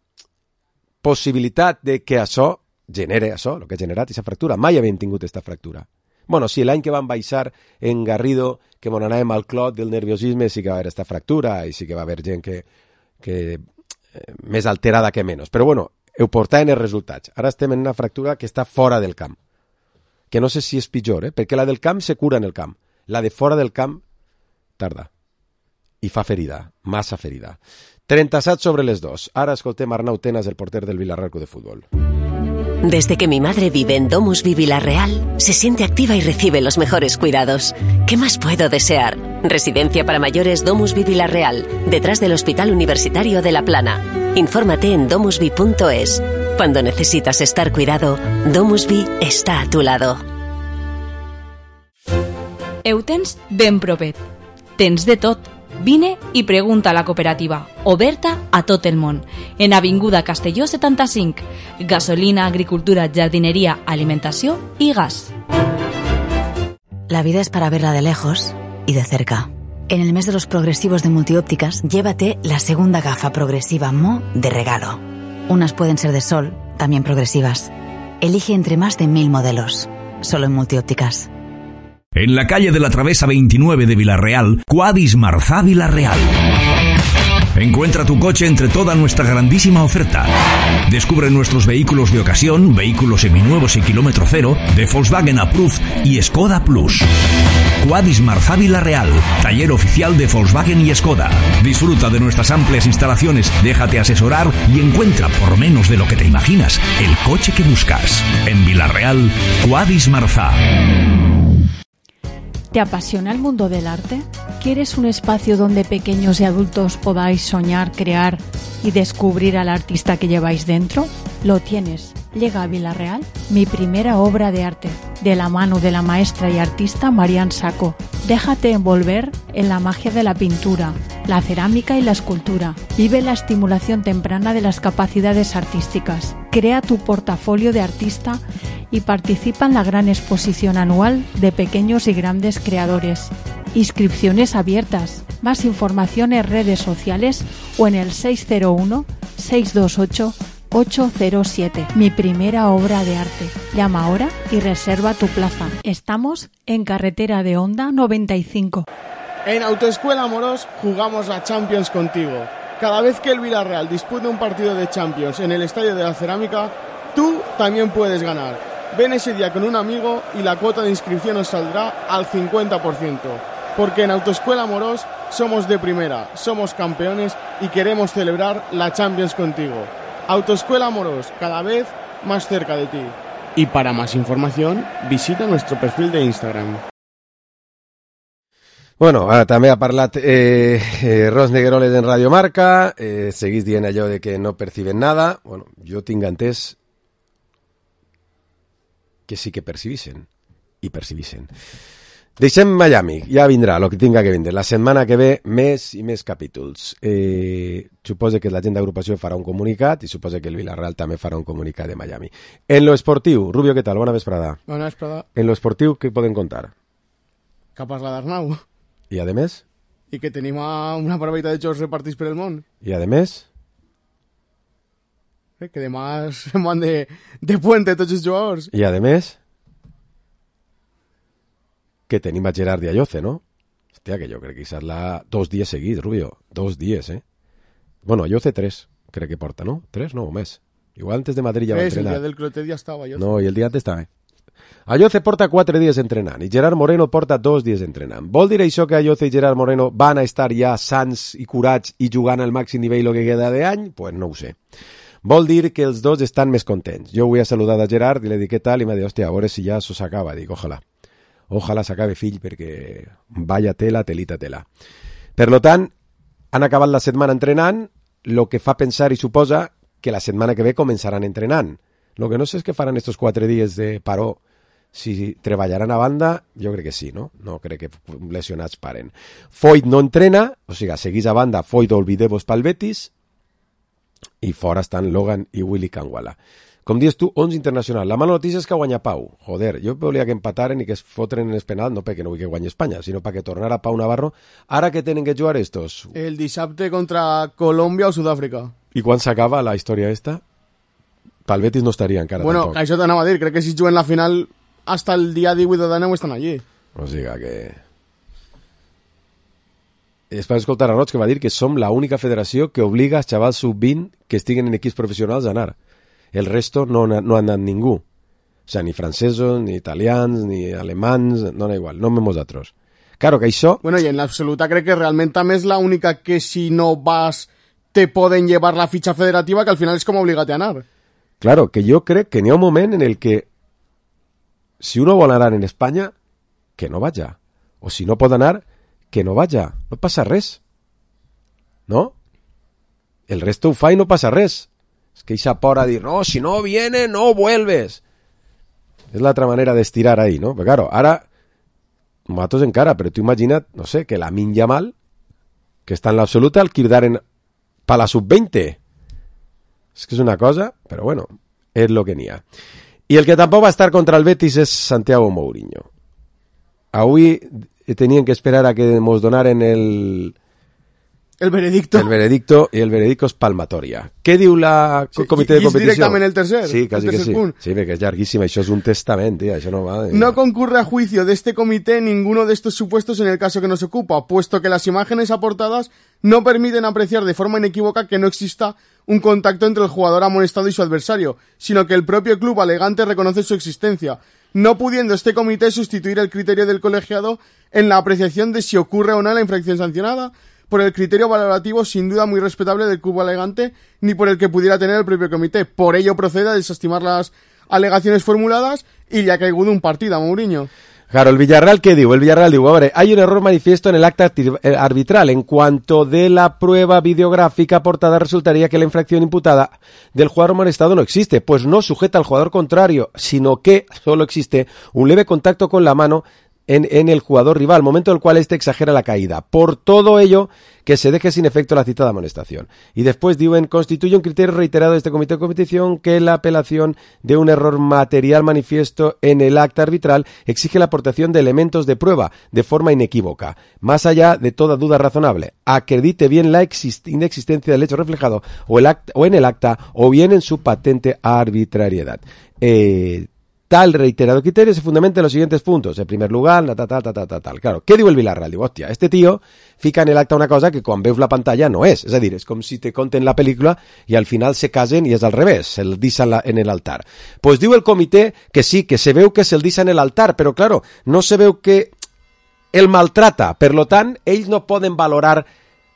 possibilitat de que això genere això, el que ha generat aquesta fractura. Mai havíem tingut aquesta fractura. Bueno, sí, l'any que vam baixar en Garrido, que mon anàvem al clot del nerviosisme, sí que va haver aquesta fractura i sí que va haver gent que més alterada que menys. Però bueno, ho portaven els resultats. Ara estem en una fractura que està fora del camp. Que no sé si és pitjor, perquè la del camp se cura en el camp. La de fora del camp tarda. I fa ferida, massa ferida. 37 sobre les 2. Ara escoltem Arnau Tenas, el porter del Villarreal Club de Fútbol. Desde que mi madre vive en Domusvi Villarreal, se siente activa y recibe los mejores cuidados. ¿Qué más puedo desear? Residencia para mayores Domusvi Villarreal, detrás del Hospital Universitario de La Plana. Infórmate en domusvi.es. Cuando necesitas estar cuidado, Domusvi está a tu lado. Eutens ben propet. Tens de tot. Vine i pregunta a la cooperativa, oberta a tot el món. En Avinguda Castelló 75. Gasolina, agricultura, jardinería, alimentació y gas. La vida es para verla de lejos y de cerca. En el mes de los progresivos de Multiópticas, llévate la segunda gafa progresiva Mo de regalo. Unas pueden ser de sol, también progresivas. Elige entre más de 1000 modelos. Solo en Multiópticas. En la calle de la Travesa 29 de Villarreal, Quadis Marzá Villarreal. Encuentra tu coche entre toda nuestra grandísima oferta. Descubre nuestros vehículos de ocasión, vehículos seminuevos y kilómetro cero, de Volkswagen Approved y Skoda Plus. Quadis Marzá Villarreal, taller oficial de Volkswagen y Skoda. Disfruta de nuestras amplias instalaciones, déjate asesorar y encuentra, por menos de lo que te imaginas, el coche que buscas. En Villarreal, Quadis Marzá. ¿Te apasiona el mundo del arte? ¿Quieres un espacio donde pequeños y adultos podáis soñar, crear y descubrir al artista que lleváis dentro? Lo tienes. Llega a Villarreal mi primera obra de arte, de la mano de la maestra y artista Marian Sacco. Déjate envolver en la magia de la pintura, la cerámica y la escultura. Vive la estimulación temprana de las capacidades artísticas. Crea tu portafolio de artista y participa en la gran exposición anual de pequeños y grandes creadores. Inscripciones abiertas. Más información en redes sociales o en el 601-628-807. Mi primera obra de arte. Llama ahora y reserva tu plaza. Estamos en Carretera de Honda 95. En Autoescuela Moros jugamos la Champions contigo. Cada vez que el Villarreal dispute un partido de Champions en el Estadio de la Cerámica, tú también puedes ganar. Ven ese día con un amigo y la cuota de inscripción os saldrá al 50%. Porque en Autoescuela Moros somos de primera, somos campeones y queremos celebrar la Champions contigo. Autoescuela Moros, cada vez más cerca de ti. Y para más información, visita nuestro perfil de Instagram. Bueno, també ha parlat Ros Negueroles en Radio Marca, seguís dient allò de que no perciben nada. Bueno, jo tinc entès que sí que percibixen, i percibixen. Deixem Miami, ja vindrà el que tinga que vindre. La setmana que ve, més i més capítols. Suposa que la gent d'agrupació farà un comunicat i suposa que el Villarreal també farà un comunicat de Miami. En lo esportiu, Rubio, què tal? Bona vesprada. Bona vesprada. En lo esportiu, què poden contar? Que ha parlat d'Arnau. I a més? I que tenim una barbaita de jocs repartits per el món. I a més? Que demà se'n van de puente tots els jugadors. I a més? Que tenim a Gerard i a Lloce, no? Hòstia, que jo crec que serà 2 dies seguits, Rubio. 2 dies, Bueno, a Lloce 3, crec que porta, no? 3, no, o més. Igual antes de Madrid ja va entrenar. El dia del Clotet ja estava, Lloce. No, i el dia antes també. A Lloce porta 4 dies entrenant i Gerard Moreno porta 2 dies entrenant. Vol dir això que a Lloce i Gerard Moreno van a estar ja sans i curats i jugant al màxim nivell el que queda d'any? Pues no ho sé. Vol dir que els dos estan més contents. Jo avui he saludat a Gerard i li dic què tal i m'ha dit, hòstia, a veure si ja això s'acaba. Dic, ojalà s'acabe, fill, perquè vaya tela, telita, tela. Per tant, han acabat la setmana entrenant, el que fa pensar i suposa que la setmana que ve començaran entrenant. El que no sé és què faran estos 4 dies de paró. Si treballaran a banda, jo crec que sí, no? No crec que lesionats paren. Foyt no entrena, o sigui, seguís a banda Foyt olvideu-vos pel Betis, i fora estan Logan i Willy Kangwala. Com dius tu, 11 internacional. La mala notícia és que guanya Pau. Joder, jo volia que empataren i que es fotren en el penal, no perquè no vull que guanyi Espanya, sinó perquè tornara Pau Navarro. Ara que tenen que jugar estos? El dissabte contra Colòmbia o Sud-àfrica. I quan s'acaba la història esta? pel Betis no estaria encara bueno, tampoc. això t'anava a dir, crec que si juguen la final hasta el dia 18 de gener estan allí. O sigui que... És per escoltar a Roig, que va dir que som la única federació que obliga als xavals sub-20 que estiguen en equips professionals a anar. El resto no ha anat ningú. O sigui, ni francesos, ni italians, ni alemans, no da igual, no nosaltres. Claro que això... Bueno, y en la absoluta crec que realment també és la única que si no vas te poden llevar la ficha federativa, que al final és com obligar-te a anar. Claro, que jo crec que n'hi ha un moment en el que si uno vol anar en Espanya, que no vaya. O si no pot anar, que no vaya. No passa res. ¿No? El resto ho fa i no passa res. És que eixa por a dir, no, si no viene, no vuelves. És l'altra manera d'estirar ahí, ¿no? Però claro, ara, nosaltres encara, però tu imagina't, no sé, que Lamine Yamal, que està en l'absoluta, el quedaren per la sub-20. És que és una cosa, però bueno, és lo que n'hi ha. I el que tampoc va estar contra el Betis és Santiago Mourinho. Avui tenien que esperar a que mos donaren el veredicto. El veredicto, i el veredicto és palmatoria. Què diu el comitè de competició? I és directament el tercer. Sí, quasi el que sí. Punt. Sí, perquè és llarguíssim, això és un testament, tía, això no va... No concurre a juicio de este comité ninguno de estos supuestos en el caso que nos ocupa, puesto que las imágenes aportadas no permiten apreciar de forma inequívoca que no exista un contacto entre el jugador amonestado y su adversario, sino que el propio club alegante reconoce su existencia, no pudiendo este comité sustituir el criterio del colegiado en la apreciación de si ocurre o no la infracción sancionada, por el criterio valorativo sin duda muy respetable del club alegante, ni por el que pudiera tener el propio comité. Por ello procede a desestimar las alegaciones formuladas y le ha caído un partido a Mourinho. Claro, el Villarreal, ¿qué digo? El Villarreal digo, a ver, hay un error manifiesto en el acta arbitral. En cuanto de la prueba videográfica aportada, resultaría que la infracción imputada del jugador amonestado no existe, pues no sujeta al jugador contrario, sino que solo existe un leve contacto con la mano en el jugador rival, momento en el cual éste exagera la caída. Por todo ello, que se deje sin efecto la citada amonestación. Y después diuen, constituye un criterio reiterado de este comité de competición que la apelación de un error material manifiesto en el acta arbitral exige la aportación de elementos de prueba de forma inequívoca, más allá de toda duda razonable. Acredite bien la inexistencia del hecho reflejado o en el acta o bien en su patente arbitrariedad. Tal reiterado criterio se fundamenta en los siguientes puntos. En primer lugar, tal. Claro, què diu el Villarreal? Diu, hòstia, este tío fica en el acta una cosa que quan veus la pantalla no és. És a dir, és com si te conten la pel·lícula i al final se casen i és al revés, se'l disa en el altar. Pues diu el comitè que sí, que se veu que se'l disa en el altar, però claro, no se veu que el maltrata. Per lo tant, ells no poden valorar,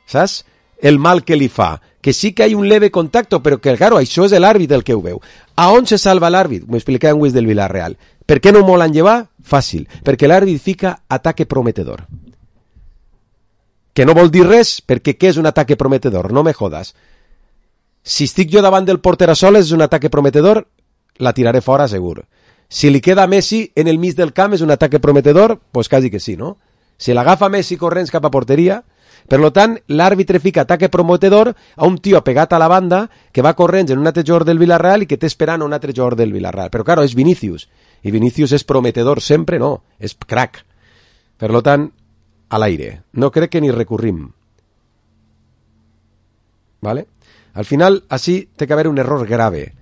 saps?, el mal que li fa, que sí que hay un leve contacto, però que, claro, això és l'àrbit el que ho veu. A on se salva l'àrbit? M'ho explicava en Wiz del Villarreal. Per què no molen llevar? Fàcil, perquè l'àrbit fica ataque prometedor. Que no vol dir res, perquè què és un ataque prometedor? No me jodas. Si estic jo davant del porter a soles és un ataque prometedor, la tiraré fora segur. Si li queda Messi en el mig del camp és un ataque prometedor, pues quasi que sí, no? Si l'agafa Messi corrents cap a porteria... Per lo tant, l'àrbitre fica ataque prometedor a un tio pegat a la banda que va corrents en un altre jugador del Villarreal i que té esperant un altre jugador del Villarreal. Però, claro, és Vinícius. I Vinícius és prometedor sempre, no. És crack. Per lo tant, a l'aire. No crec que ni recurrim. ¿Vale? Al final, així té que haver un error grave.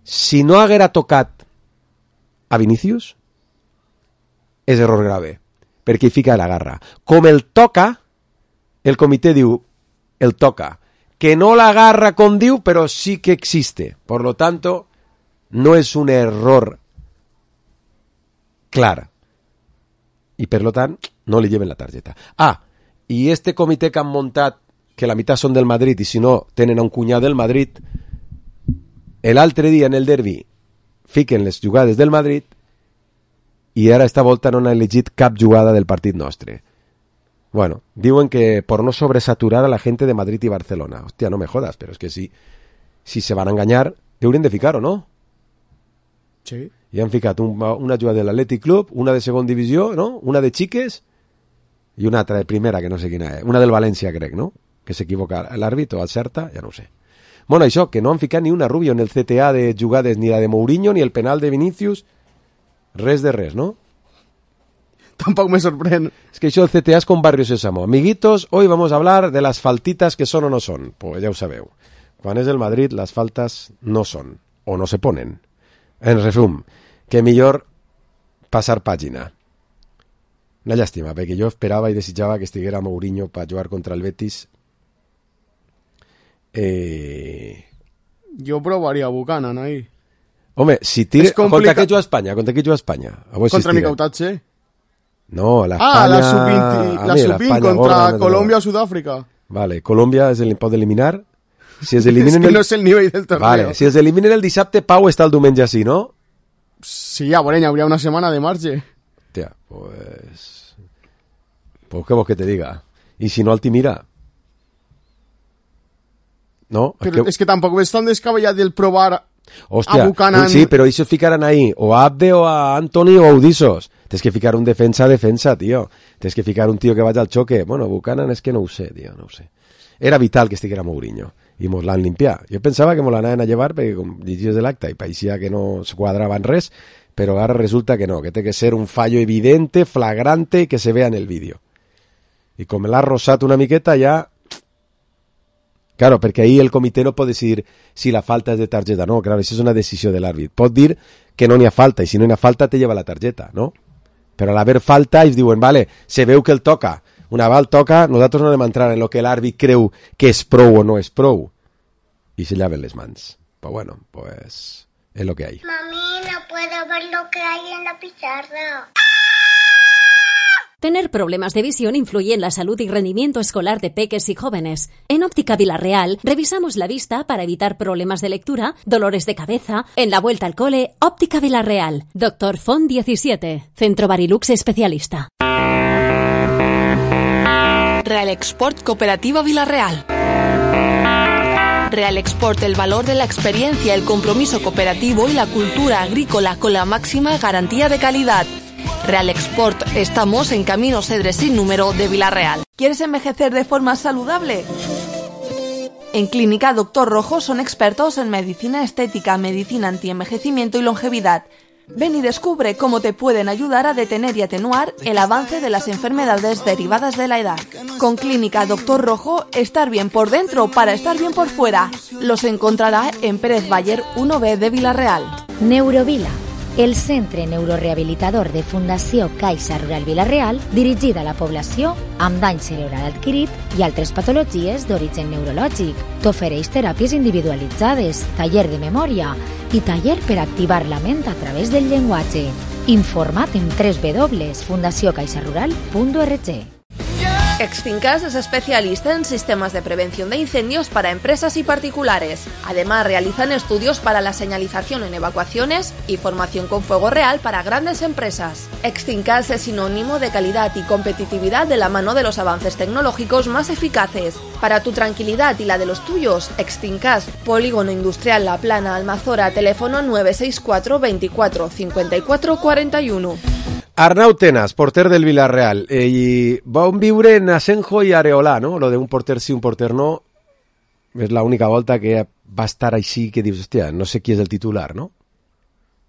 Si no haguera tocat a Vinícius, és error grave. Perquè hi fica la garra. Com el toca... El comitè diu, el toca, que no la agarra com diu, però sí que existe. Por lo tanto, no és un error clar. I per lo tant, no li lleven la targeta. Ah, i este comitè que han muntat, que la meitat són del Madrid, i si no, tenen un cunyat del Madrid, l'altre dia en el derbi fiquen les jugades del Madrid i ara esta volta no han elegit cap jugada del partit nostre. Bueno, diuen que por no sobresaturar a la gente de Madrid y Barcelona. Hostia, no me jodas, pero es que si se van a engañar, deurien de ficar, ¿o no? Sí. I han ficat una jugada de l'Atlètic Club, una de segona divisió, ¿no? Una de xiques i una altra de primera, que no sé quina és. Una del València, crec, no? Que s'equivoca l'àrbit o acerta, ja no ho sé. Bueno, això, que no han ficat ni una Rubio en el CTA de jugades, ni la de Mourinho, ni el penal de Vinícius, res de res, ¿no? Tampoco me sorprende. Es que això del CTA es con Barrio Sésamo. Amiguitos, hoy vamos a hablar de las faltitas que son o no son. Pues ya ho sabeu. Quan és el Madrid, las faltas no son. o no se ponen. En resum, que millor passar pàgina. Una llàstima, perquè jo esperava i desitjava que estiguera Mourinho per jugar contra el Betis. Jo provaria Buchanan ahí. Home, si tira... Contra què juga Espanya? Contra qui juga Espanya? Contra Mikautatxe. No, la Espanya... la sub-20 contra Colòmbia o Sud-àfrica. Vale, Colòmbia pot eliminar. Si es eliminen que no és el nivell del torneo. Vale, si es eliminen el dissabte, Pau està el diumenge així, no? Sí, a veure, hauria una setmana de marge. Hòstia, pues què vols que te diga? I si no, el Timira? No? Però és que tampoc ves tan descabellat del provar Hòstia, a Buchanan. Sí, però ells ficaran ahí o a Abde o a Anthony o a Udisos. Tens que ficar un defensa, tio. Tens que ficar un tio que vagi al xoque. Bueno, Buchanan és que no ho sé, tio, no ho sé. Era vital que estiguera Mourinho i mos l'han limpiat. Jo pensava que mos l'anaven a llevar perquè com llegies de l'acte i pareixia que no es quadrava en res, però ara resulta que no, que té que ser un fallo evidente, flagrante i que se vea en el vídeo. I com l'ha rosat una miqueta ja... Claro, perquè ahí el comitè no pot decidir si la falta és de targeta. No, claro, això és una decisió de l'àrbit. Pot dir que no n'hi ha falta, i si no n'hi ha falta te lleva la targeta, no? Però a l'haver falta ells diuen, vale, se veu que el toca. Una val toca, nosaltres no anem a entrar en lo que l'àrbit creu que és prou o no és prou. I se llaven les mans. Pues bueno, pues es lo que hay. Mami, no puedo ver lo que hay en la pizarra. Tener problemas de visión influye en la salud y rendimiento escolar de peques y jóvenes. En Óptica Villarreal revisamos la vista para evitar problemas de lectura, dolores de cabeza. En la vuelta al cole, Óptica Villarreal. Dr. Font 17, Centro Barilux Especialista. Real Export Cooperativa Villarreal. Real Export, el valor de la experiencia, el compromiso cooperativo y la cultura agrícola con la máxima garantía de calidad. Real Export, estamos en Camino Cedres sin número de Villarreal. ¿Quieres envejecer de forma saludable? En Clínica Doctor Rojo son expertos en medicina estética, medicina antienvejecimiento y longevidad. Ven y descubre cómo te pueden ayudar a detener y atenuar el avance de las enfermedades derivadas de la edad. Con Clínica Doctor Rojo, estar bien por dentro para estar bien por fuera. Los encontrará en Pérez Bayer 1B de Villarreal. Neurovila, el centre neurorehabilitador de Fundació Caixa Rural Villarreal, dirigida a la població amb dany cerebral adquirit i altres patologies d'origen neurològic. T'ofereix teràpies individualitzades, taller de memòria i taller per activar la ment a través del llenguatge. Informa't en www.fundaciocaixarural.org. Extincas es especialista en sistemas de prevención de incendios para empresas y particulares. Además, realizan estudios para la señalización en evacuaciones y formación con fuego real para grandes empresas. Extincas es sinónimo de calidad y competitividad de la mano de los avances tecnológicos más eficaces. Para tu tranquilidad y la de los tuyos, Extincas, Polígono Industrial La Plana, Almazora, teléfono 964 24 54 41. Arnau Tenas, porter del Villarreal, i vam viure en Asenjo i Areola, no? Lo de un porter sí, un porter no, és l'única volta que va estar així que dius, hòstia, no sé qui és el titular, no?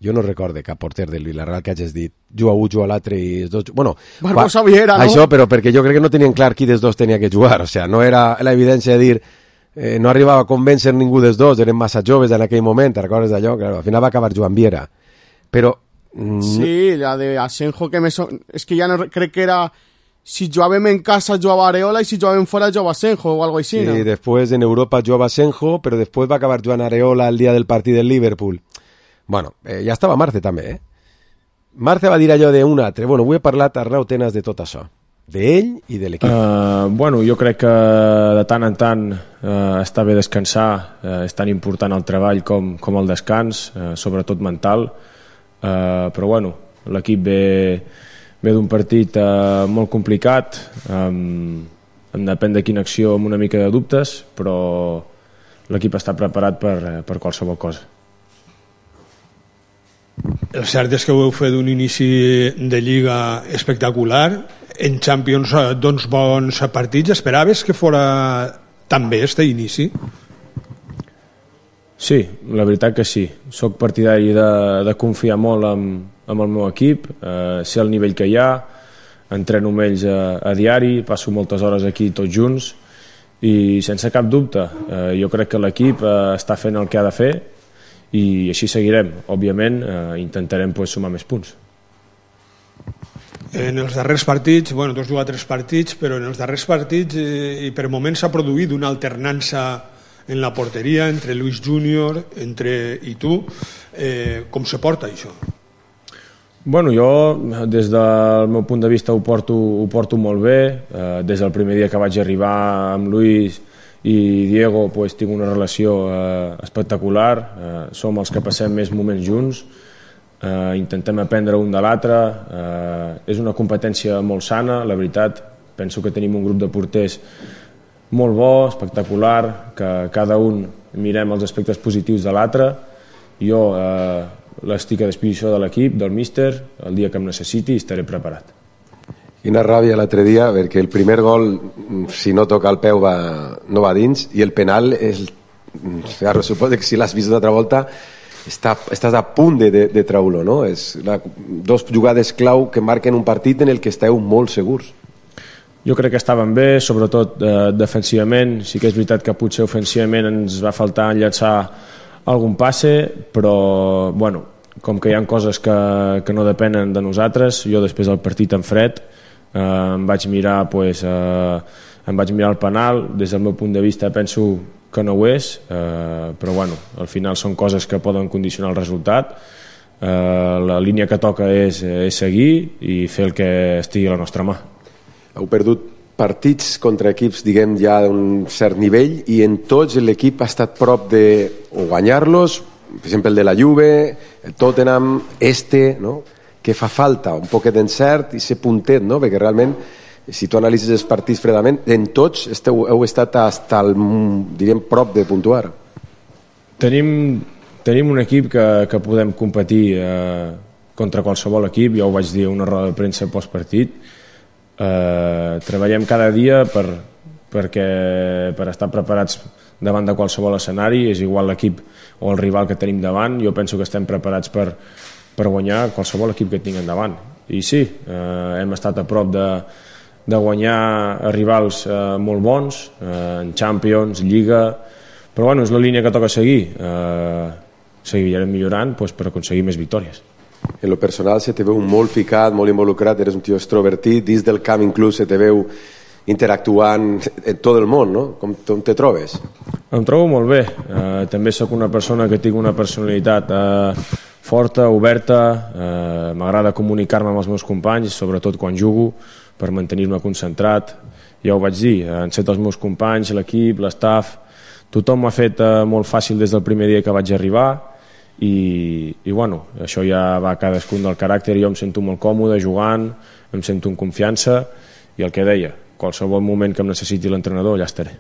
Jo no recorde cap porter del Villarreal que hagis dit, juga un, juga l'altre i els dos... Bueno, Barbosa Viera, no? Això, però perquè jo crec que no tenien clar qui dels dos tenia que jugar, o sea, no era l'evidència de dir, no arribava a convèncer ningú dels dos, eren massa joves en aquell moment, te recordes d'allò? Claro, al final va acabar Joan Viera, però... Sí, la de Asenjo que es que ya no creo que era si jugàvem en casa jugava Areola y si jugàvem fuera jugava Asenjo o algo así, ¿no? Sí, después en Europa jugava Asenjo, pero después va a acabar jugant Areola el día del partido del Liverpool. Bueno, ja estava Marce també, Marce va dir allò d'un altre. Bueno, avui he parlat a Arnau Tenas de tot això, d'ell i de l'equip. Bueno, jo crec que de tant en tant està bé descansar, és tan important el treball com el descans, sobretot mental. Però bueno, l'equip ve d'un partit molt complicat, depèn de quina acció amb una mica de dubtes, però l'equip està preparat per qualsevol cosa. El cert és que heu fet un inici de Lliga espectacular, en Champions d'uns bons partits. Esperaves que fora tan bé este inici? Sí, la veritat que sí. Soc partidari de confiar molt en el meu equip, sé el nivell que hi ha, entreno amb ells a diari, passo moltes hores aquí tots junts i sense cap dubte jo crec que l'equip està fent el que ha de fer i així seguirem. Òbviament intentarem sumar més punts. En els darrers partits, tu has jugat 3 partits, però en els darrers partits i per moments s'ha produït una alternança en la porteria entre Luis Júnior i tu. Com se porta això? Jo, des del meu punt de vista, ho porto molt bé. Des del primer dia que vaig arribar amb Luis i Diego tinc una relació espectacular. Som els que passem més moments junts. Intentem aprendre un de l'altre. És una competència molt sana, la veritat. Penso que tenim un grup de porters molt bo, espectacular, que cada un mirem els aspectes positius de l'altre. Jo estic a disposició de l'equip, del míster, el dia que em necessiti estaré preparat. Quina ràbia l'altre dia, perquè el primer gol, si no toca el peu, no va dins, i el penal, suposo que si l'has vist una altra volta, estàs a punt de treure-lo, no? És 2 jugades clau que marquen un partit en el que esteu molt segurs. Jo crec que estaven bé, sobretot defensivament. Sí que és veritat que potser ofensivament ens va faltar llançar algun passe, però com que hi ha coses que no depenen de nosaltres, jo després del partit en fred em vaig mirar el penal. Des del meu punt de vista penso que no ho és, però al final són coses que poden condicionar el resultat. La línia que toca és seguir i fer el que estigui a la nostra mà. Heu perdut partits contra equips, diguem, ja d'un cert nivell, i en tots l'equip ha estat prop de guanyar-los, per exemple el de la Juve, el Tottenham, no? Que fa falta un poquet d'encert i ser puntet, no? Perquè realment, si tu analitzes els partits fredament, en tots heu estat diríem, prop de puntuar. Tenim un equip que podem competir contra qualsevol equip. Jo ho vaig dir a una roda de premsa postpartit. Treballem cada dia per estar preparats davant de qualsevol escenari. És igual l'equip o el rival que tenim davant. Jo penso que estem preparats per guanyar qualsevol equip que tinguem davant. I sí, hem estat a prop de guanyar rivals molt bons en Champions, Lliga, però és la línia que toca seguir. Seguirem millorant per aconseguir més victòries. En lo personal se te veu molt ficat, molt involucrat, eres un tio extrovertit, dins del camp inclús se te veu interactuant en tot el món, no? Com te trobes? Em trobo molt bé. També sóc una persona que tinc una personalitat forta, oberta, m'agrada comunicar-me amb els meus companys, sobretot quan jugo, per mantenir-me concentrat. Ja ho vaig dir, han set els meus companys, l'equip, l'estaf, tothom m'ha fet molt fàcil des del primer dia que vaig arribar. I això ja va a cadascun del caràcter. Jo em sento molt còmode jugant, em sento en confiança, i el que deia, qualsevol moment que em necessiti l'entrenador ja estaré.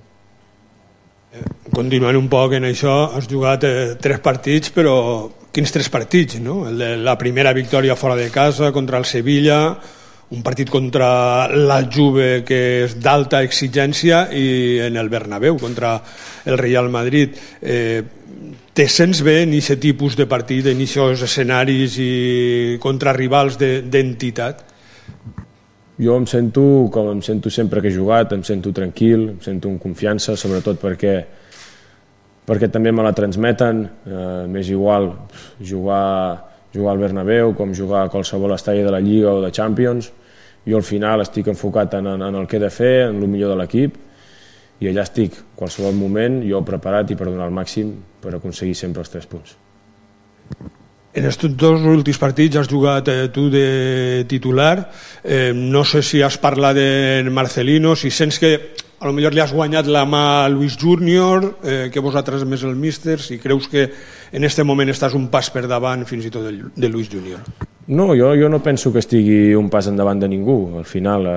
Continuant un poc en això, has jugat 3 partits, però quins 3 partits, no? La primera victòria fora de casa contra el Sevilla, un partit contra la Juve que és d'alta exigència, i en el Bernabéu contra el Real Madrid. Te sents bé en aquest tipus de partit, en aquests escenaris i contra rivals d'entitat? Jo em sento com em sento sempre que he jugat, em sento tranquil, em sento amb confiança, sobretot perquè també me la transmeten. M'és igual jugar al Bernabéu com jugar a qualsevol estadi de la Lliga o de Champions. Jo al final estic enfocat en el que he de fer, en el millor de l'equip, i allà estic, qualsevol moment, jo preparat i per donar el màxim per aconseguir sempre els 3 punts. En estos 2 últims partits has jugat tu de titular. No sé si has parlat de Marcelino, si sents que a lo millor li has guanyat la mà a Luis Júnior, que vosaltres més el míster, si creus que en aquest moment estàs un pas per davant fins i tot de Luis Júnior. No, jo no penso que estigui un pas endavant de ningú. Al final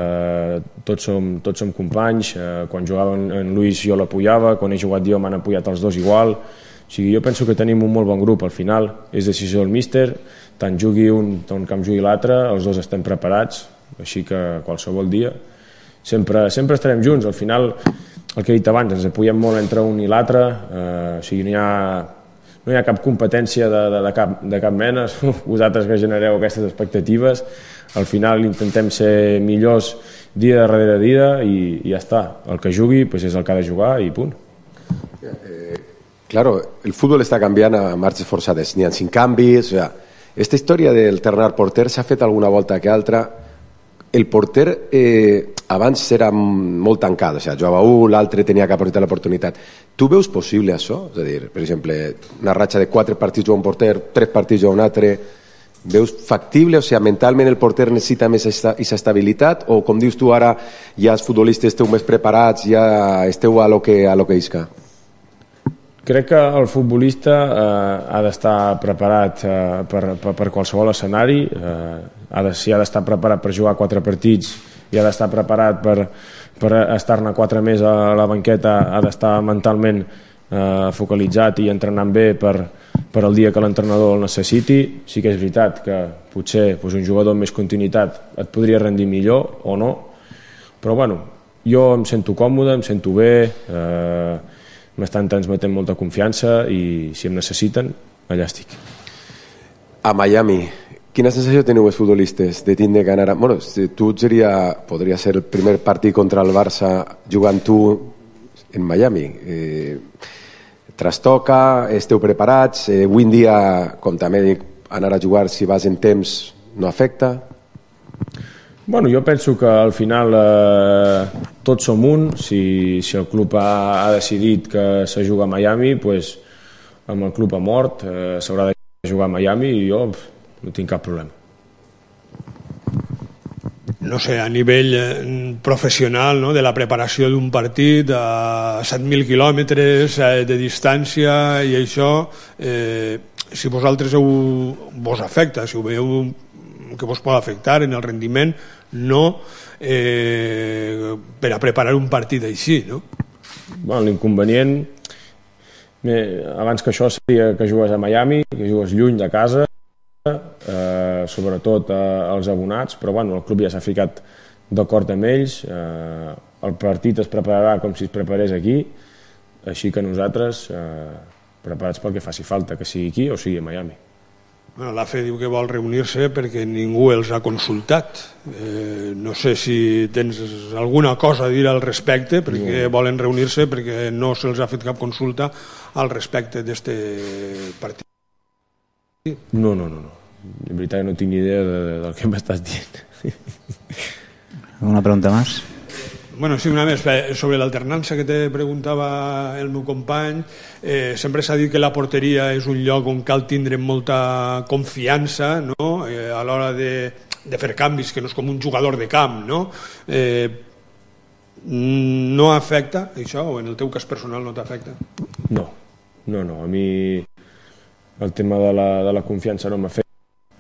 tots som companys. Quan jugava en Luis jo l'apoyava, quan he jugat jo m'han apoyat els 2 igual. O sigui, jo penso que tenim un molt bon grup. Al final és decisió del míster, tant jugui un com jugui l'altre, els 2 estem preparats, així que qualsevol dia sempre estarem junts. Al final, el que he dit abans, ens apoyem molt entre un i l'altre, o sigui, no hi ha cap competència de cap mena. Vosaltres que genereu aquestes expectatives, al final intentem ser millors dia darrere dia i ja està. El que jugui és el que ha de jugar i punt. Claro, el fútbol està canviant a marxes forçades, n'hi ha 5 canvis, o sea, esta història d'alternar porter s'ha fet alguna volta que altra. El porter abans era molt tancat, o sigui, jugava un, l'altre tenia que aprofitar l'oportunitat. Tu veus possible això? És a dir, per exemple, una ratxa de 4 partits juga un porter, 3 partits juga un altre. Veus factible? O sigui, mentalment el porter necessita més aquesta estabilitat? O, com dius tu ara, ja els futbolistes esteu més preparats, ja esteu a lo que isca? Crec que el futbolista ha d'estar preparat per qualsevol escenari, si ha d'estar preparat per jugar 4 partits i ha d'estar preparat per estar-ne 4 més a la banqueta, ha d'estar mentalment focalitzat i entrenant bé per el dia que l'entrenador el necessiti. Sí que és veritat que potser un jugador amb més continuïtat et podria rendir millor o no, però bueno, jo em sento còmode, em sento bé, m'estan transmetent molta confiança i si em necessiten, allà estic. A Miami, quina sensació teniu els futbolistes de tindre que anar... Bueno, tu podria ser el primer partit contra el Barça jugant tu en Miami. Trastoca, esteu preparats, avui en dia, com també dic, anar a jugar si vas en temps no afecta? Bueno, jo penso que al final tots som un. Si el club ha decidit que se juga a Miami, doncs amb el club ha mort, s'haurà de jugar a Miami i jo no tinc cap problema. No sé, a nivell professional, no?, de la preparació d'un partit a 7.000 quilòmetres de distància i això, si vosaltres vos afecta, si ho veieu que vos pot afectar en el rendiment, no per a preparar un partit així, no? Bueno, l'inconvenient abans que això seria que jugues a Miami, que jugues lluny de casa, sobretot els abonats, però bueno, el club ja s'ha ficat d'acord amb ells, el partit es prepararà com si es preparés aquí, així que nosaltres preparats pel que faci falta, que sigui aquí o sigui a Miami. Bueno, l'AFE diu que vol reunir-se perquè ningú els ha consultat. No sé si tens alguna cosa a dir al respecte, perquè volen reunir-se perquè no se'ls ha fet cap consulta al respecte d'aquest partit. No. En veritat no tinc ni idea del que m'estàs dient. ¿Alguna pregunta más? Bueno, sí, una més sobre l'alternança que te preguntava el meu company. Sempre s'ha dit que la porteria és un lloc on cal tindre molta confiança, no?, a l'hora de fer canvis, que no és com un jugador de camp, no? No afecta això, o en el teu cas personal no t'afecta? No, a mi el tema de la confiança no m'afecta.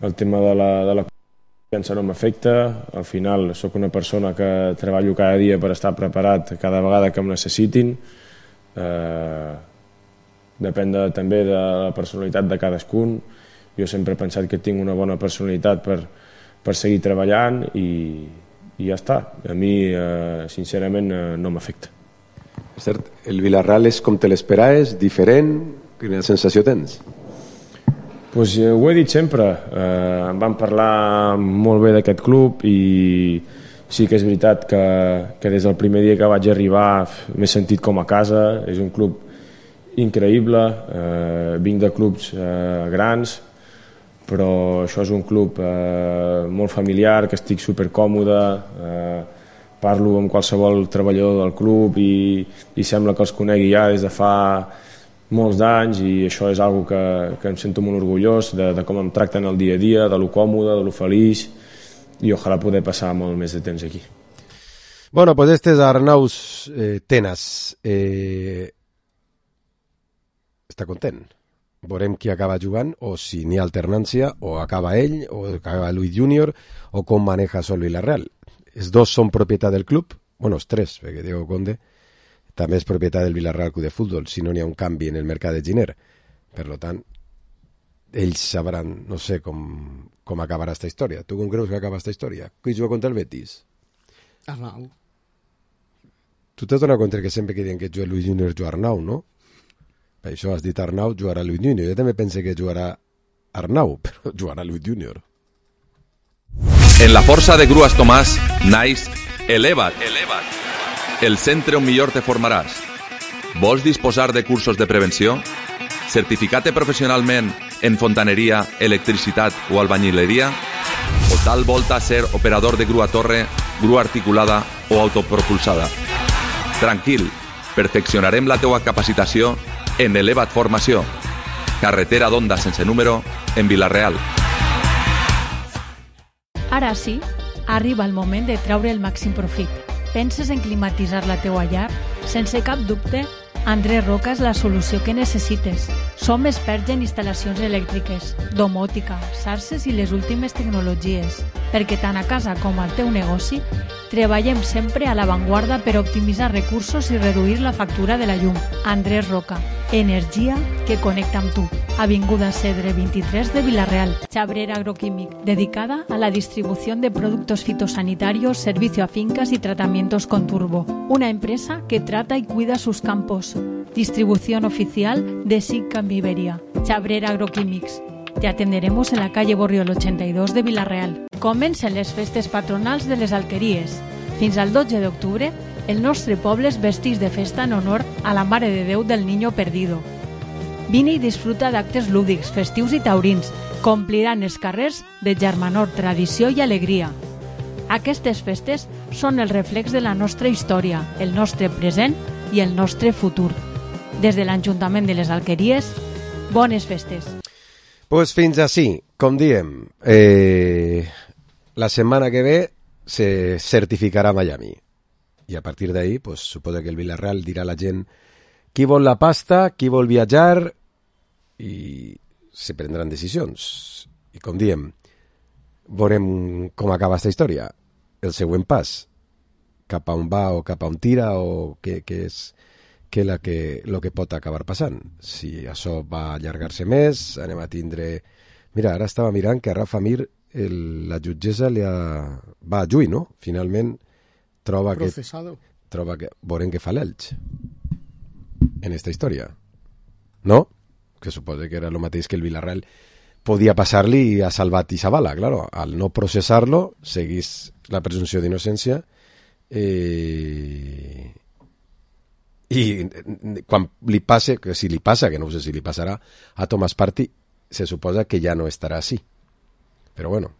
El tema de la confiança no m'afecta. Al final sóc una persona que treballo cada dia per estar preparat cada vegada que em necessitin. Depèn també de la personalitat de cadascun. Jo sempre he pensat que tinc una bona personalitat per seguir treballant i ja està. A mi, sincerament, no m'afecta. És cert, el Villarreal és com te l'esperaves, diferent? Quina sensació tens? Pues ho he dit sempre, em van parlar molt bé d'aquest club i sí que és veritat que des del primer dia que vaig arribar m'he sentit com a casa. És un club increïble, vinc de clubs grans, però això és un club molt familiar, que estic supercòmode, parlo amb qualsevol treballador del club i sembla que els conegui ja des de fa molts d'anys i això és algo que em sento molt orgullós de com em tracten el dia a dia, de lo còmode, de lo feliç i ojalà poder passar molt més de temps aquí. Bueno, pues este es Arnaus Tenas. Està content. Veurem qui acaba jugant, o si n'hi ha alternància, o acaba ell, o acaba Luis Junior, o com maneja Sol Villarreal. Els dos són propietat del club, bueno, els tres, perquè Diego Conde també és propietat del Villarreal Club de Futbol, si no n'hi ha un canvi en el mercat de Giner. Per tant, ells sabran, no sé com acabarà aquesta història. Tu com creus que acaba aquesta història? Qui juga contra el Betis? Arnau. Tu t'has donat compte que sempre que diuen que juga Luis Junior juga Arnau, no? Per això has dit Arnau, jugarà Luis Junior. Jo també pense que jugarà Arnau, però jugarà Luis Junior. En la força de Grues Tomàs naix Eleva't. El centre on millor te formaràs. Vols disposar de cursos de prevenció? Certificat professionalment en fontaneria, electricitat o albañileria? O tal volta ser operador de grua torre, grua articulada o autopropulsada? Tranquil, perfeccionarem la teua capacitació en Elevat Formació. Carretera d'Onda sense número en Vila-real. Ara sí, arriba el moment de treure el màxim profit. Penses en climatitzar la teua llar? Sense cap dubte, Andrés Roca és la solució que necessites. Som experts en instal·lacions elèctriques, domòtica, xarxes i les últimes tecnologies, perquè tant a casa com al teu negoci treballem sempre a l'avantguarda per optimitzar recursos i reduir la factura de la llum. Andrés Roca, energia que connecta amb tu. Avinguda Cedre 23 de Vila-real. Chabrera Agroquímic, dedicada a la distribución de productos fitosanitarios, servicio a fincas y tratamientos con turbo. Una empresa que trata y cuida sus campos. Distribución oficial de SICA en Iberia. Chabrera Agroquímics. Te atenderemos en la calle Borriol 82 de Vila-real. Comencen les festes patronals de les Alqueries. Fins al 12 d'octubre, el nostre poble es vesteix de festa en honor a la Mare de Déu del Niño Perdido. Vine i disfruta d'actes lúdics, festius i taurins. Compliran els carrers de germanor, tradició i alegria. Aquestes festes són el reflex de la nostra història, el nostre present i el nostre futur. Des de l'Ajuntament de les Alqueries, bones festes. Pues fins així, com diem, la setmana que ve se certificarà Miami. I a partir d'ahí, pues, suposo que el Vila-real dirà a la gent qui vol la pasta, qui vol viatjar, i se prendran decisions. I com diem, veurem com acaba aquesta història. El següent pas, cap a on va o cap a on tira o què és lo que pot acabar passant. Si això va allargar-se més, anem a tindre... Mira, ara estava mirant que a Rafa Mir la jutgessa va a juí, no? Finalment troba que veurem què fa l'Elx en esta història, no? Que suposa que era el mateix que el Vila-real podia passar-li i ha salvat i s'avala, claro. Al no processar-lo seguís la presumpció d'innocència i quan li passe, que si li passa, que no sé si li passarà a Thomas Partey, se suposa que ja no estarà així. Però bueno,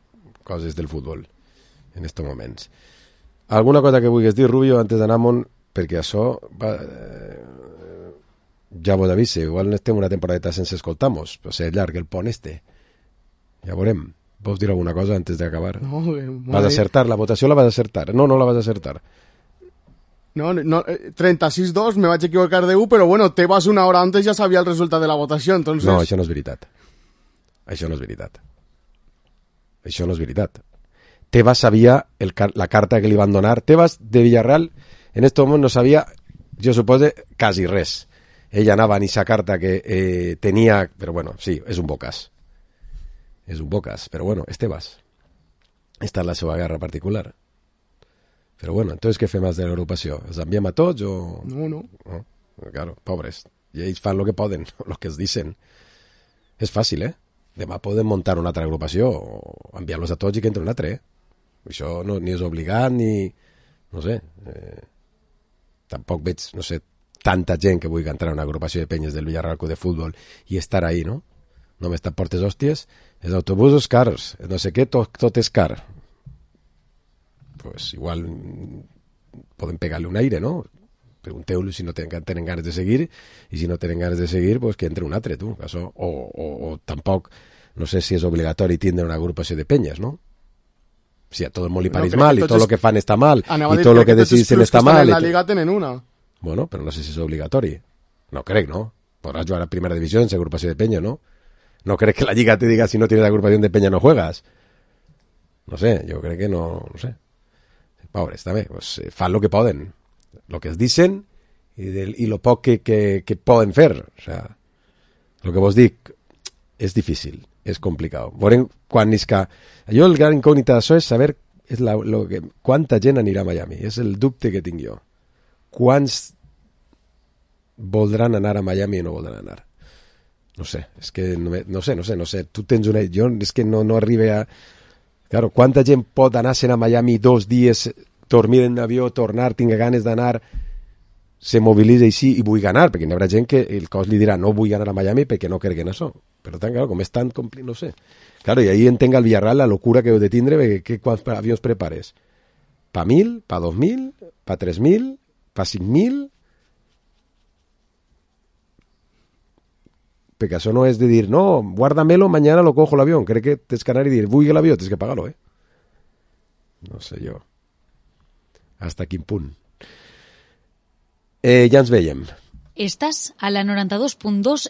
coses del futbol en estos moments. Alguna cosa que vulguis dir, Rubio, antes d'anar-me'n, perquè això ja vos avise, igual estem una temporadeta sense escoltar-nos, però ser llarg el pont este. Ja veurem. Vols dir alguna cosa antes d'acabar? No, vas a acertar, la votació la vas a acertar. No la vas a acertar. No, 36-2, me vaig equivocar de 1, però bueno, Tebas una hora antes ja sabia el resultat de la votació, entonces... No, això no és veritat. Això no és veritat. Tebas sabia la carta que li van donar. Tebas de Villarreal en aquest moment no sabia, jo suposo, quasi res. Ell anava en aquesta carta que tenia... Però bueno, sí, és un bocàs. Però bueno, és Tebas. Esta és la seva guerra particular. Però bueno, entonces què fem de l'agrupació? Els enviem a tots o...? No. Claro, pobres. I ells fan lo que poden, lo que es dicen. És fàcil, Demà podem muntar una altra agrupació o enviar-los a tots i que entre un altre, Això no, ni és obligat, ni... No sé. Tampoc veig, no sé, tanta gent que vulgui entrar en una agrupació de penyes del Villarreal Club de Futbol i estar ahí, no? Només te portes hòsties, els autobusos cars, no sé què, tot és car. Pues igual poden pegar-li un aire, no? Pregunteu-li si no tenen ganes de seguir, i si no tenen ganes de seguir, pues que entre un altre, tu. Això, o tampoc, no sé si és obligatori tindre una agrupació de penyes, no? Si a tot el món li pareix mal, i tot el que fan està mal, i tot el que decideixen està mal... En la Liga tenen una. Bueno, però no sé si és obligatori. No crec, no? Podràs jugar a primera divisió sense agrupació de peña, ¿no? No crec que la Lliga te diga si no tienes agrupación de peña no juegas. No sé, yo creo que no sé. Pobres, també, pues, fan lo que poden. Lo que es dicen y lo poc que poden fer. O sea, lo que vos dic és difícil, és complicat. Veurem quan isca... Jo el gran incògnita d'això és saber quanta gent anirà a Miami. És el dubte que tinc jo. Quants voldran anar a Miami i no voldran anar? No sé, és que no sé. Tu tens una... Jo és que no arribe a... Claro, quanta gent pot anar-se'n a Miami 2 dies, dormir en un avió, tornar, tinga ganes d'anar... se mobilitza així i vull ganar, perquè hi haurà gent que el cos li dirà no vull ganar a Miami perquè no crec en això. Per tant, claro, com és tan complit, no sé. Claro, i ahí entenc al Villarreal la locura que heu de tindre, perquè quants avions prepares? Pa 1.000, pa 2.000, pa 3.000, pa 5.000... Perquè això no és de dir, no, guárdamelo, mañana lo cojo l'avió. Crec que tens que anar i dir, vull l'avió, tens que pagar-lo, No sé jo. Hasta quin punt. Ja ens veiem. Estàs a la 92.2